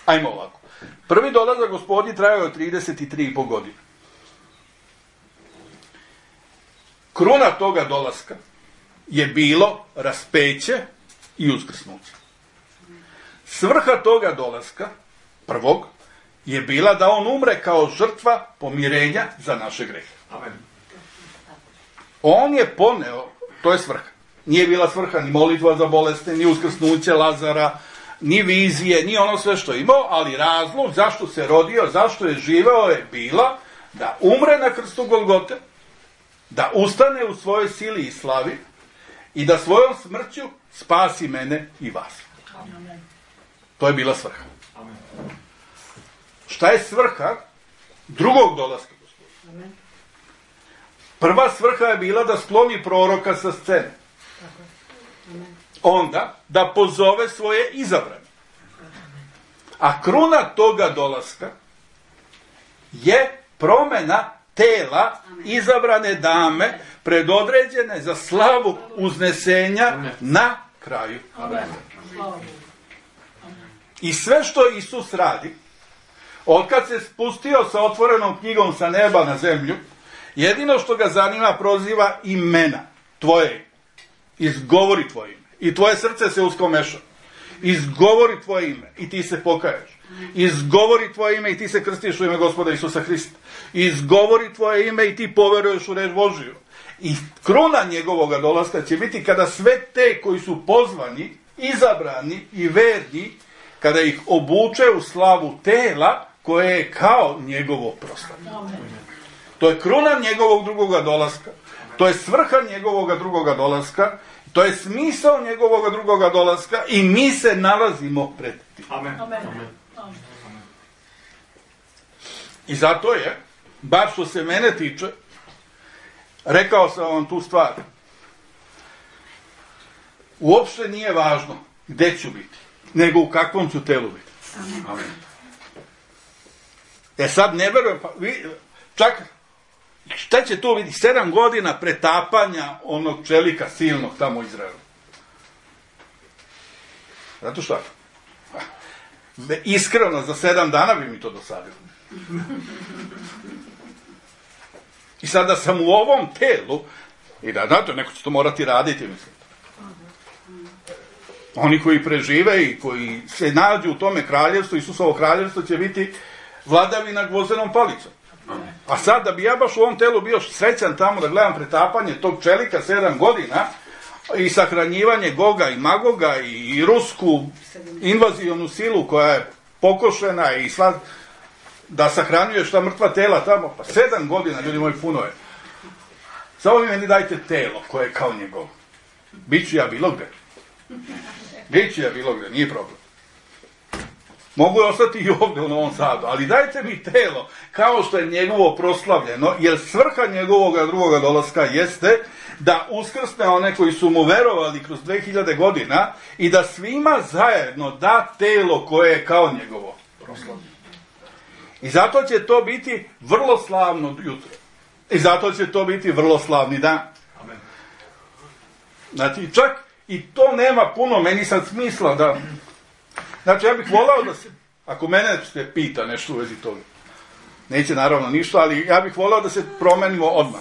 ajmo ovako. Prvi dolazak Gospodnji trajao je 33,5 godine. Kruna toga dolaska je bilo raspeće i uskrsnuće. Svrha toga dolaska, prvog, je bila da on umre kao žrtva pomirenja za naše grehe. Amen. On je poneo, to je svrha. Nije bila svrha ni molitva za bolesne, ni uskrsnuće Lazara, ni vizije, ni ono sve što je imao, ali razlog zašto se rodio, zašto je živeo je bila da umre na krstu Golgote, da ustane u svojoj sili i slavi i da svojom smrću spasi mene i vas. Amen. To je bila svrha. Amen. Šta je svrha drugog dolaska Gospodnjeg? Amen. Prva svrha je bila da skloni proroka sa scene. Amen. Onda da pozove svoje izabrane. A kruna toga dolaska je promena tela izabrane dame predodređene za slavu uznesenja na kraju. Amen. Slava Bogu. I sve što Isus radi, otkad se spustio sa otvorenom knjigom sa neba na zemlju, jedino što ga zanima proziva imena tvoje. Izgovori tvoje ime. I tvoje srce se uskomeša. Izgovori tvoje ime i ti se pokaješ. Izgovori tvoje ime i ti se krstiš u ime Gospoda Isusa Hrista. Izgovori tvoje ime i ti poveruješ u reč Božiju. I kruna njegovoga dolaska će biti kada sve te koji su pozvani, izabrani i verni, kada ih obuče u slavu tela koje je kao njegovo proslavljanje. To je kruna njegovog drugoga dolaska. To je svrha njegovoga drugoga dolaska. To je smisao njegovoga drugoga dolaska i mi se nalazimo pred tim. Amen. Amen. I zato je, bar što se mene tiče, rekao sam vam tu stvar. Uopšte nije važno gde ću biti, nego u kakvom ću telu biti. Amen. Sad ne verujem, čak šta će tu biti? 7 godina pretapanja onog čelika silnog tamo u Izraelu. Zato što? Iskreno, za 7 dana bi mi to dosadilo. I sada sam u ovom telu, i da, znate, neko će to morati raditi, mislim. Oni koji prežive i koji se nađu u tome kraljevstvu, Isusovo kraljevstvo će biti vladavina gvozdenom palicom. A sad, da bi ja baš u ovom telu bio srećan tamo da gledam pretapanje tog čelika 7 godina i sahranjivanje Goga i Magoga i rusku invazijonu silu koja je pokošena i sva da sahranjuješ ta mrtva tela tamo, pa 7 godina, ljudi moji, puno je. Samo mi meni dajte telo koje je kao njegovo. Biću ja bilo gde. Biću ja bilo gde, nije problem. Mogu ostati i ovdje u Novom Sadu, ali dajte mi telo kao što je njegovo proslavljeno, jer svrha njegovoga drugoga dolaska jeste da uskrsne one koji su mu verovali kroz 2000 godina i da svima zajedno da telo koje je kao njegovo proslavljeno. I zato će to biti vrlo slavno jutro. I zato će to biti vrlo slavni dan. Amen. Znači, čak i to nema puno meni sad smisla da... Znači, ja bih volao da se, ako mene se pita nešto u vezi toga, neće naravno ništa, ali ja bih volao da se promenimo odmah.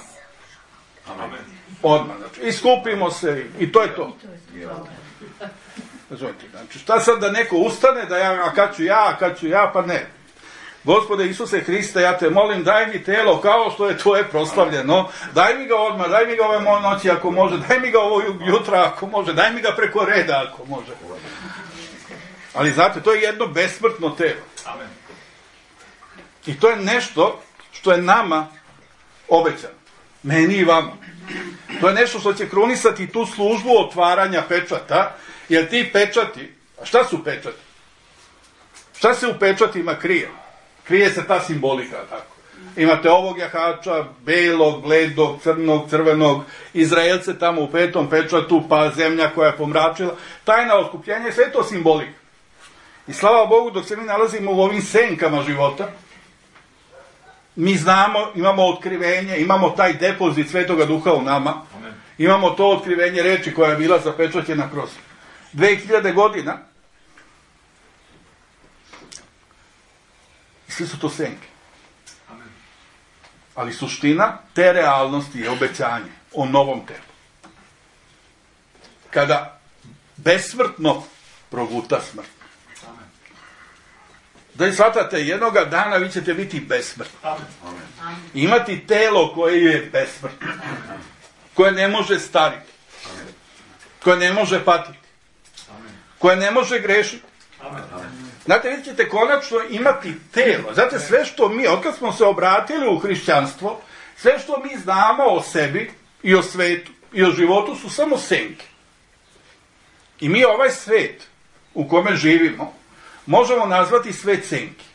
Amen. Odmah, znači, iskupimo se i to je to. Znači, šta sad da neko ustane, da ja, a kad ću ja, pa ne. Gospode Isuse Hriste, ja te molim, daj mi telo kao što je tvoje proslavljeno, daj mi ga odmah, daj mi ga ove noći ako može, daj mi ga ovo jutra ako može, daj mi ga preko reda ako može. Ali znate, to je jedno besmrtno telo. Amen. I to je nešto što je nama obećano. Meni i vama. To je nešto što će krunisati tu službu otvaranja pečata, jer ti pečati, a šta su pečati? Šta se u pečatima krije? Krije se ta simbolika, tako. Imate ovog jahača, belog, bledog, crnog, crvenog, Izraelce tamo u 5. pečatu, pa zemlja koja je pomračila. Tajna otkupljenja je sve to simbolika. I slava Bogu, dok se mi nalazimo u ovim senkama života, mi znamo, imamo otkrivenje, imamo taj depozit Svetoga Duha u nama, imamo to otkrivenje reči koja je bila zapečaćena kroz 2000 godina. Sve su to senke. Ali suština te realnosti je obećanje o novom telu. Kada besmrtno proguta smrt. Da i shvatate, jednoga dana vi ćete biti besmrtni. Imati telo koje je besmrtno. Koje ne može stariti. Koje ne može patiti. Koje ne može grešiti. Znate, vi ćete konačno imati telo. Znate, sve što mi, otkad smo se obratili u hrišćanstvo, sve što mi znamo o sebi i o svetu i o životu su samo senke. I mi ovaj svet u kome živimo možemo nazvati svet senki.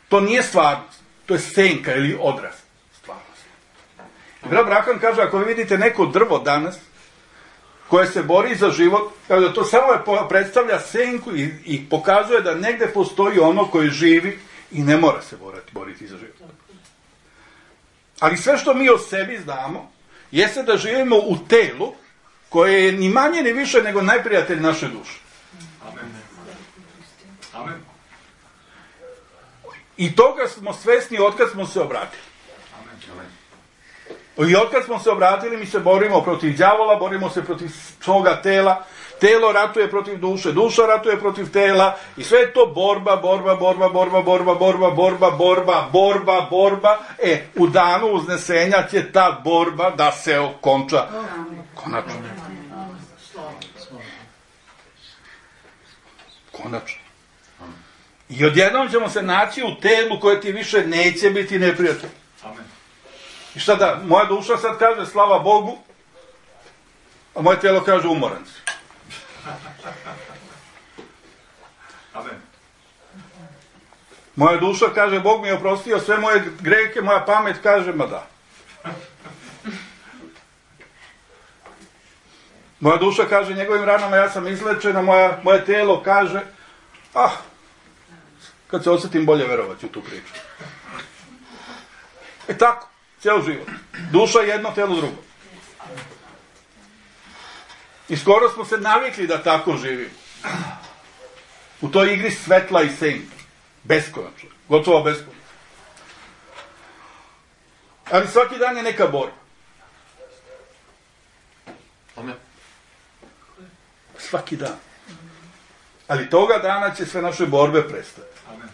To nije stvarnost. To je senka ili odraz stvarnosti. I brat Branhan kaže, ako vi vidite neko drvo danas koje se bori za život, kada to samo predstavlja senku i pokazuje da negde postoji ono koje živi i ne mora se boriti za život. Ali sve što mi o sebi znamo jeste da živimo u telu koje je ni manje ni više nego najprijatelj naše duše. Amen. I toga smo svesni otkad smo se obratili. I otkad smo se obratili, mi se borimo protiv đavola, borimo se protiv svoga tela, telo ratuje protiv duše, duša ratuje protiv tela i sve je to borba. U danu uznesenja će ta borba da se okonča. Konačno. Konačno. I odjednom ćemo se naći u telu koje ti više neće biti neprijatelj. Amen. I šta da, moja duša sad kaže slava Bogu, a moje telo kaže umoran si. Amen. Moja duša kaže Bog mi je oprostio sve moje greke, moja pamet kaže ma da. Moja duša kaže njegovim ranama ja sam izlečena, moje telo kaže kad se osjetim bolje verovati u tu priču. I tako, cijel život. Duša jedno, telo drugo. I skoro smo se navikli da tako živimo. U toj igri svetla i senke. Beskonačno. Gotovo beskonačno. Ali svaki dan je neka borba. Amen. Svaki dan. Ali toga dana će sve naše borbe prestati. Amen.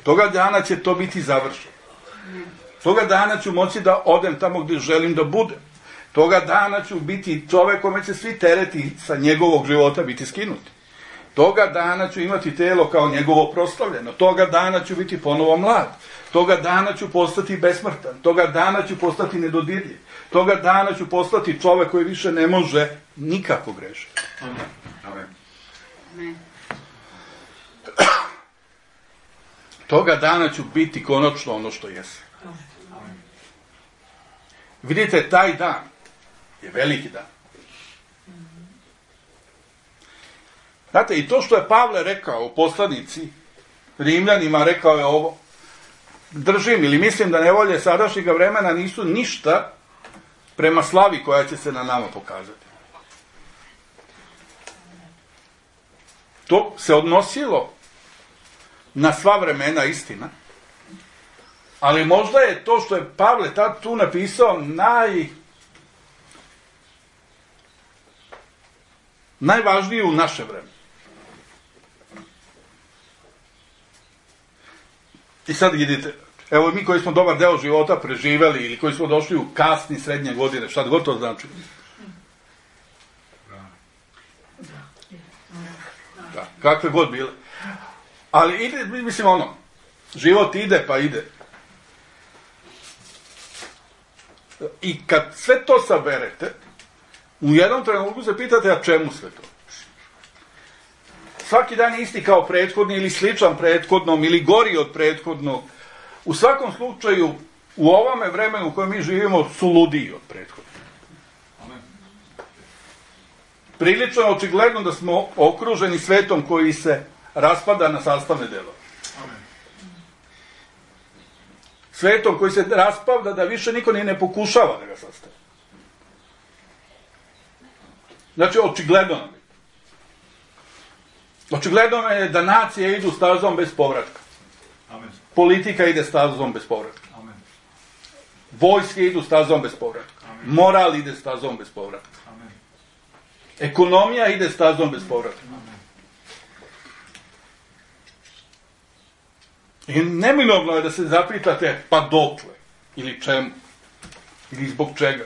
Toga dana će to biti završeno. Toga dana ću moći da odem tamo gdje želim da budem. Toga dana ću biti čovek kome će svi tereti sa njegovog života biti skinuti. Toga dana ću imati telo kao njegovo proslavljeno. Toga dana ću biti ponovo mlad. Toga dana ću postati besmrtan. Toga dana ću postati nedodirljiv. Toga dana ću postati čovek koji više ne može nikako grešiti. Amen. Amen. Toga dana ću biti konačno ono što jesam. Vidite, taj dan je veliki dan. Znate, i to što je Pavle rekao u poslanici Rimljanima, rekao je ovo, držim ili mislim da nevolje sadašnjega vremena nisu ništa prema slavi koja će se na nama pokazati. To se odnosilo na sva vremena, istina, ali možda je to što je Pavle tad tu napisao najvažnije u naše vreme. I sad vidite, evo mi koji smo dobar deo života preživeli ili koji smo došli u kasni srednje godine, šta god to znači. Da, kakve god bile. Ali ide, mislim život ide pa ide. I kad sve to saberete, u jednom trenutku se pitate, a čemu sve to? Svaki dan je isti kao prethodni ili sličan prethodnom ili gori od prethodnog. U svakom slučaju, u ovome vremenu u kojem mi živimo su ludiji od prethodnog. Prilično je očigledno da smo okruženi svetom koji se raspada na sastavne delove. svetom koji se raspada da više niko ni ne pokušava da ga sastavi. Znači, očigledno nam je. Očigledno je da nacije idu stazom bez povratka. Amen. Politika ide stazom bez povratka. Amen. Vojske idu stazom bez povratka. Amen. Moral ide stazom bez povratka. Amen. Ekonomija ide stazom bez povratka. Amen. I neminovno je da se zapitate pa dokle, ili čemu, ili zbog čega.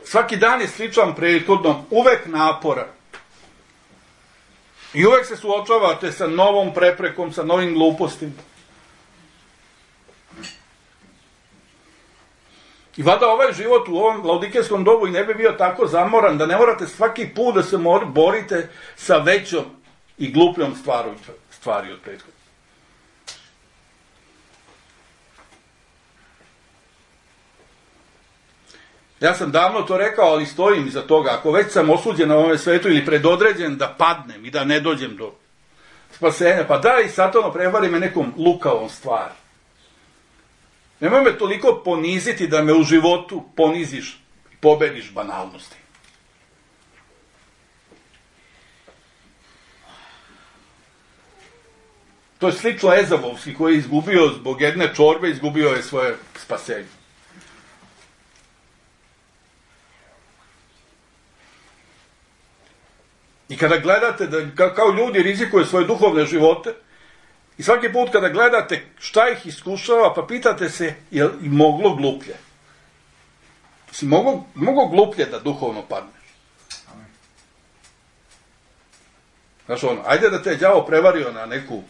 Svaki dan je sličan prethodnom, uvek napora. I uvek se suočavate sa novom preprekom, sa novim glupostima. I valjda ovaj život u ovom laodikejskom dobu i ne bi bio tako zamoran da ne morate svaki put da se borite sa većom i glupljom stvari od prethodne. Ja sam davno to rekao, ali stojim iza toga. Ako već sam osuđen na ovome svetu ili predodređen da padnem i da ne dođem do spasenja, pa daj Satano prevari me nekom lukavom stvari. Nemoj me toliko poniziti da me u životu poniziš i pobediš banalnosti. To je slično Ezavovski koji je izgubio zbog jedne čorbe, izgubio je svoje spasenje. I kada gledate da kao ljudi rizikuju svoje duhovne živote, i svaki put kada gledate šta ih iskušava, pa pitate se je li moglo gluplje. Si moglo gluplje da duhovno padneš. Znaš ono, ajde da te je đavo prevario na neku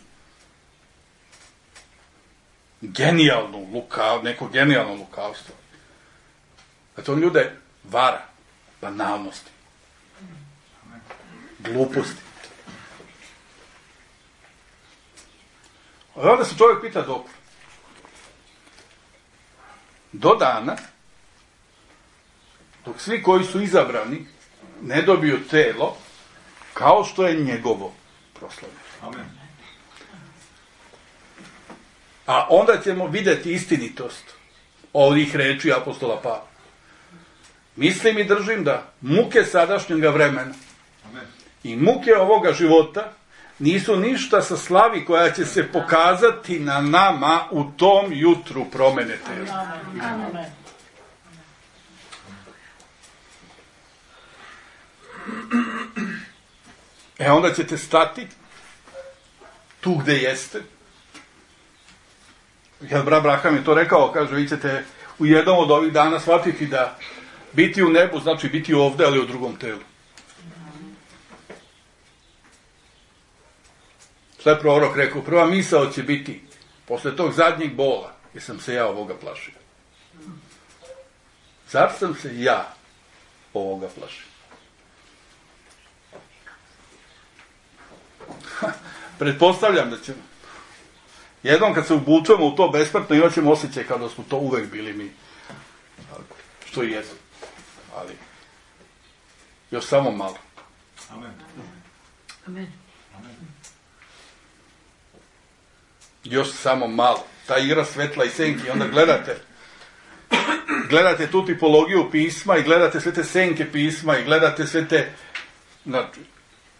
neko genijalno lukavstvo. Znači on ljude vara, banalnosti, gluposti. A onda se čovjek pita dok. Do dana, dok svi koji su izabrani ne dobiju telo, kao što je njegovo proslavljeno. Amen. A onda ćemo vidjeti istinitost ovih reči apostola Pavla. Mislim i držim da muke sadašnjega vremena Amen. i muke ovoga života nisu ništa sa slavi koja će se pokazati na nama u tom jutru promene tela. Amen. Onda ćete stati tu gde jeste. Kad brat Braham je to rekao, kaže, vi ćete u jednom od ovih dana shvatiti da biti u nebu znači biti ovde, ali u drugom telu. Šta je prorok rekao? Prva misao će biti, posle tog zadnjeg bola, jer sam se ja ovoga plašio. Zar sam se ja ovoga plašio? Pretpostavljam da ćemo jednom kad se ubučemo u to besmrtno imat ćemo osjećaj kada smo to uvek bili mi. Što i jesmo. Ali još samo malo. Amen. Amen. Još samo malo. Ta igra svetla i senki. Onda gledate tu tipologiju pisma i gledate sve te senke pisma i gledate sve te, znači,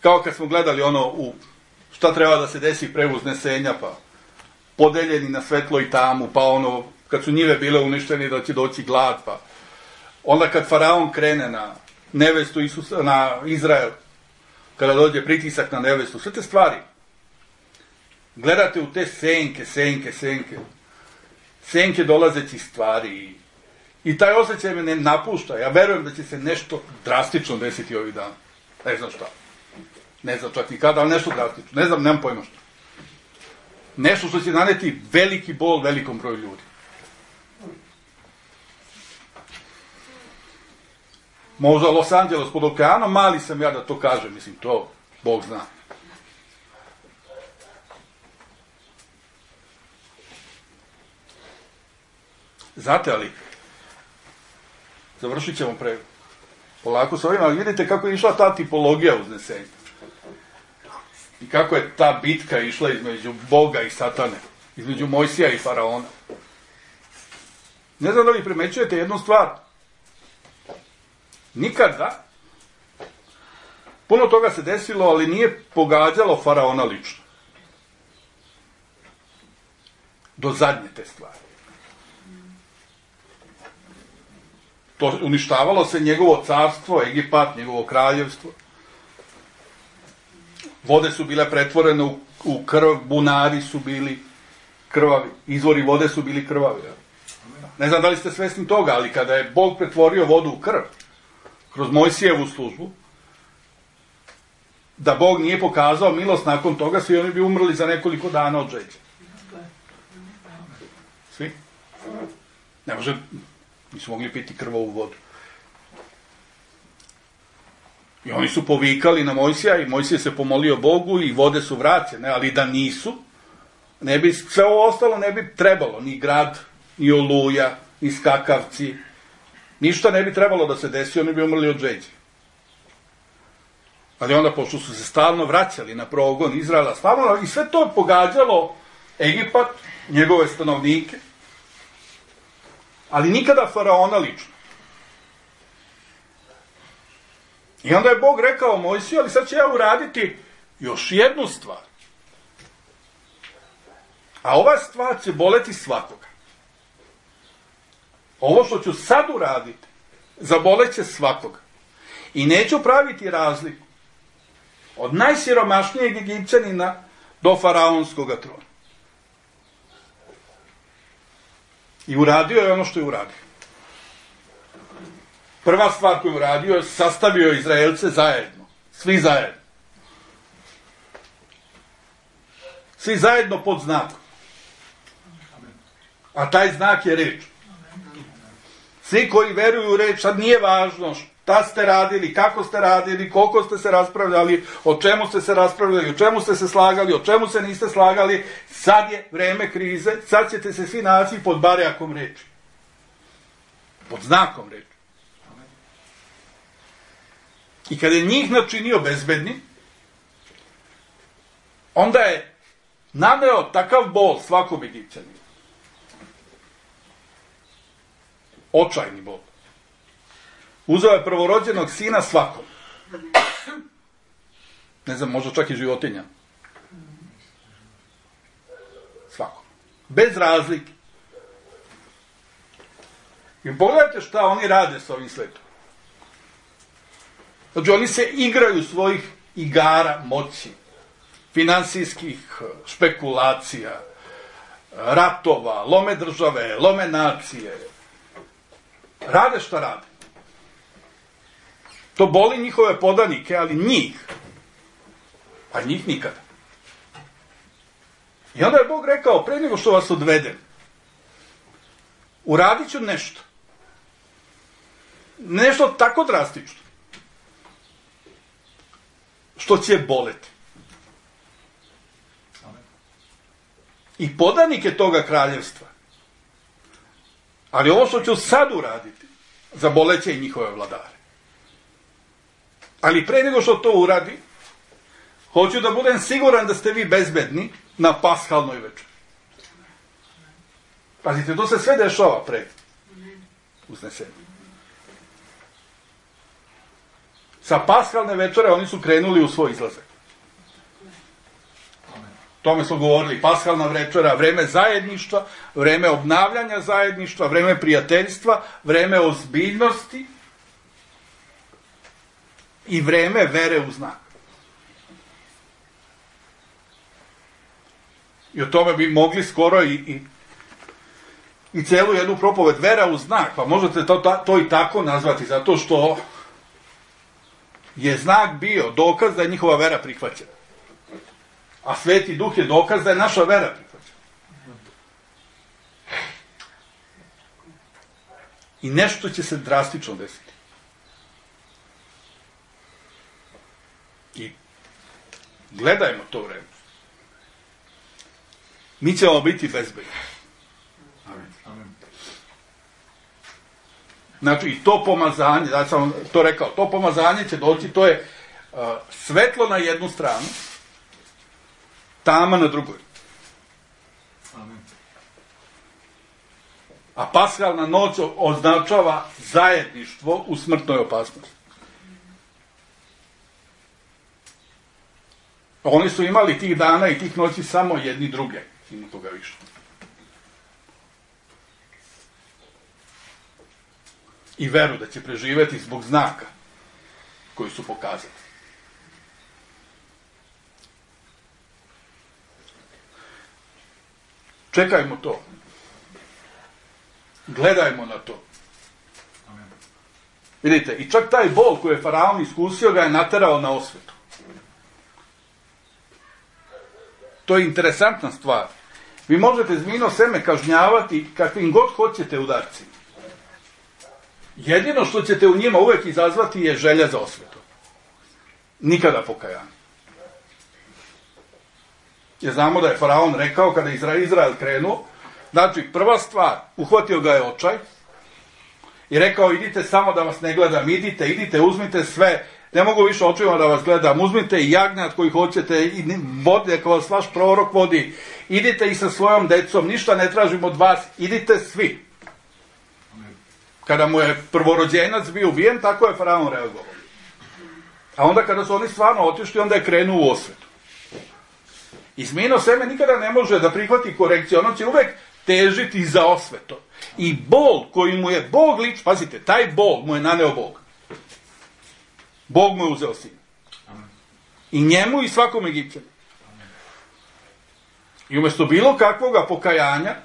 kao kad smo gledali ono u šta treba da se desi pre uznesenja, pa podeljeni na svetlo i tamu, pa ono, kad su njive bile uništeni da će doći glad, pa onda kad faraon krene na nevestu Isusa, na Izrael, kada dođe pritisak na nevestu, sve te stvari. Gledate u te senke dolazećih stvari i taj osjećaj me ne napušta. Ja verujem da će se nešto drastično desiti ovih dana. Ne znam šta. Ne znam čak ni kada, ali nešto drastično. Ne znam, nemam pojma šta. Nešto što će naneti veliki bol velikom broju ljudi. Možda Los Angeles pod okeanom, mali sam ja da to kažem, mislim, to Bog zna. Znate, ali završit ćemo polako s ovim, ali vidite kako je išla ta tipologija uznesenja. I kako je ta bitka išla između Boga i Satane. između Mojsija i faraona. Ne znam da li primećujete jednu stvar. Nikada, puno toga se desilo, ali nije pogađalo faraona lično. Do zadnje te stvari. To uništavalo se njegovo carstvo, Egipat, njegovo kraljevstvo. Vode su bile pretvorene u krv, bunari su bili krvavi, izvori vode su bili krvavi. Ne znam da li ste svesni toga, ali kada je Bog pretvorio vodu u krv, kroz Mojsijevu službu, da Bog nije pokazao milost nakon toga, svi oni bi umrli za nekoliko dana od žeđa. Svi? Ne može, nisu mogli piti krvavu vodu. I oni su povikali na Mojsija i Mojsije se pomolio Bogu i vode su vraćene, ali da nisu, ne bi, sve ovo ostalo ne bi trebalo, ni grad, ni oluja, ni skakavci, ništa ne bi trebalo da se desi, oni bi umrli od žeđe. Ali onda, pošto su se stalno vraćali na progon Izraela, stalno, i sve to pogađalo Egipat, njegove stanovnike, ali nikada faraona lično. I onda je Bog rekao Mojsiju, ali sad će ja uraditi još jednu stvar. A ova stvar će boleti svakoga. Ovo što ću sad uraditi, zaboleće svakoga. I neću praviti razliku od najsiromašnijeg Egipćanina do faraonskog trona. I uradio je ono što je uradio. Prva stvar koju je uradio, sastavio je Izraelce zajedno. Svi zajedno. Svi zajedno pod znakom. A taj znak je reč. Svi koji veruju u reč, sad nije važno šta ste radili, kako ste radili, koliko ste se raspravljali, o čemu ste se raspravljali, o čemu ste se slagali, o čemu se niste slagali, sad je vreme krize, sad ćete se svi naći pod barjakom reči. Pod znakom reči. I kada je njih načinio bezbedni, onda je naneo takav bol svakom Egipćaninu. Očajni bol. Uzeo je prvorođenog sina svakom. Ne znam, možda čak i životinja. Svakom. Bez razlike. I pogledajte šta oni rade s ovim svetom. Znači, oni se igraju svojih igara moći, finansijskih špekulacija, ratova, lome države, lome nacije. Rade šta rade. To boli njihove podanike, ali njih. A njih nikada. I onda je Bog rekao, pre nego što vas odvedem, uradit ću nešto. Nešto tako drastično. Što će boleti. I podanike toga kraljevstva. Ali ovo što ću sad uraditi, zaboleće i njihove vladare. Ali pre nego što to uradi, hoću da budem siguran da ste vi bezbedni na paskalnoj večeri. Pazite, to se sve dešava pre uznesenja. Sa paskalne večere oni su krenuli u svoj izlazak. Tome smo govorili, paskalna večera, vreme zajedništva, vreme obnavljanja zajedništva, vreme prijateljstva, vreme ozbiljnosti i vreme vere u znak. I o tome bi mogli skoro i celu jednu propoved, vera u znak, pa možete to i tako nazvati, zato što je znak bio dokaz da je njihova vera prihvaćena. A Sveti Duh je dokaz da je naša vera prihvaćena. I nešto će se drastično desiti. I gledajmo to vreme. Mi ćemo biti bezbedni. Znači, i to pomazanje, da sam to rekao, to pomazanje će doći, to je svetlo na jednu stranu, tama na drugoj. A paskalna noć označava zajedništvo u smrtnoj opasnosti. Oni su imali tih dana i tih noći samo jedni druge, ima toga više. I veru da će preživjeti zbog znaka koji su pokazali. Čekajmo to. Gledajmo na to. Vidite, i čak taj bol koji je faraon iskusio ga je naterao na osvetu. To je interesantna stvar. Vi možete zmijino seme kažnjavati kakvim god hoćete udarcima. Jedino što ćete u njima uvijek izazvati je želja za osvetu. Nikada pokajanje. Jer znamo da je faraon rekao kada je Izrael krenuo, znači prva stvar, uhvatio ga je očaj i rekao idite samo da vas ne gledam, idite, uzmite sve, ne mogu više očima da vas gledam, uzmite i jagnjad koji hoćete, i vode kao vas vaš prorok vodi, idite i sa svojom decom, ništa ne tražim od vas, idite svi. Kada mu je prvorođenac bio ubijen, tako je faraon reagovao. A onda kada su oni stvarno otišli, onda je krenuo u osvetu. I zmijino seme nikada ne može da prihvati korekciju, ono će uvek težiti za osveto. I bol koji mu je Bog pazite, taj bol mu je naneo Bog. Bog mu je uzeo sin. I njemu i svakom Egipćanu. I umjesto bilo kakvoga pokajanja,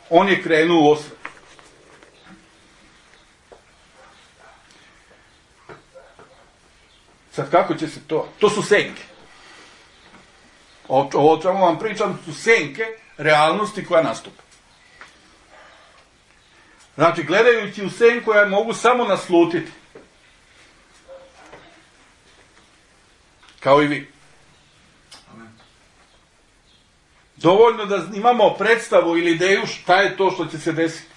on je krenuo u osvetu. Sad kako će se to? To su senke. Ovo o čemu vam pričam su senke realnosti koja nastupa. Znači, gledajući u senku ja mogu samo naslutiti. Kao i vi. Dovoljno da imamo predstavu ili ideju šta je to što će se desiti.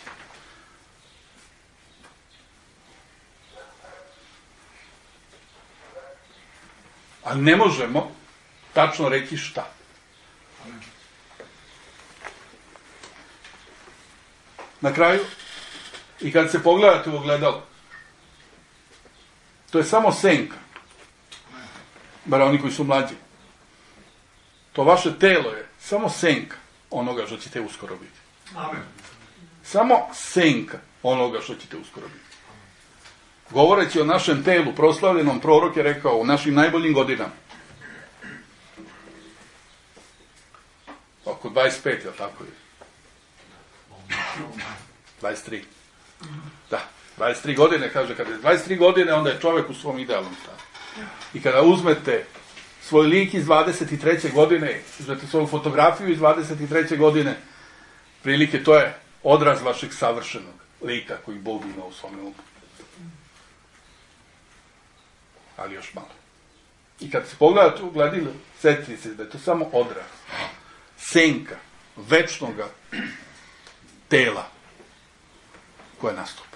Ali ne možemo tačno reći šta. Na kraju, i kad se pogledate u ogledalo, to je samo senka. Bar oni koji su mlađi. To vaše telo je samo senka onoga što ćete uskoro biti. Amen. Samo senka onoga što ćete uskoro biti. Govoreći o našem telu, proslavljenom prorok je rekao u našim najboljim godinama. Oko 25, je li tako je? 23. Da, 23 godine, kaže, kada je 23 godine, onda je čovjek u svom idealnom stanju. I kada uzmete svoj lik iz 23. godine, uzmete svoju fotografiju iz 23. godine, prilike to je odraz vašeg savršenog lika koji Bog ima u svom umu. Ali još malo. I kad se pogledate u gledilo, sjetite se da je to samo odraz, senka, večnoga tela koje nastupa.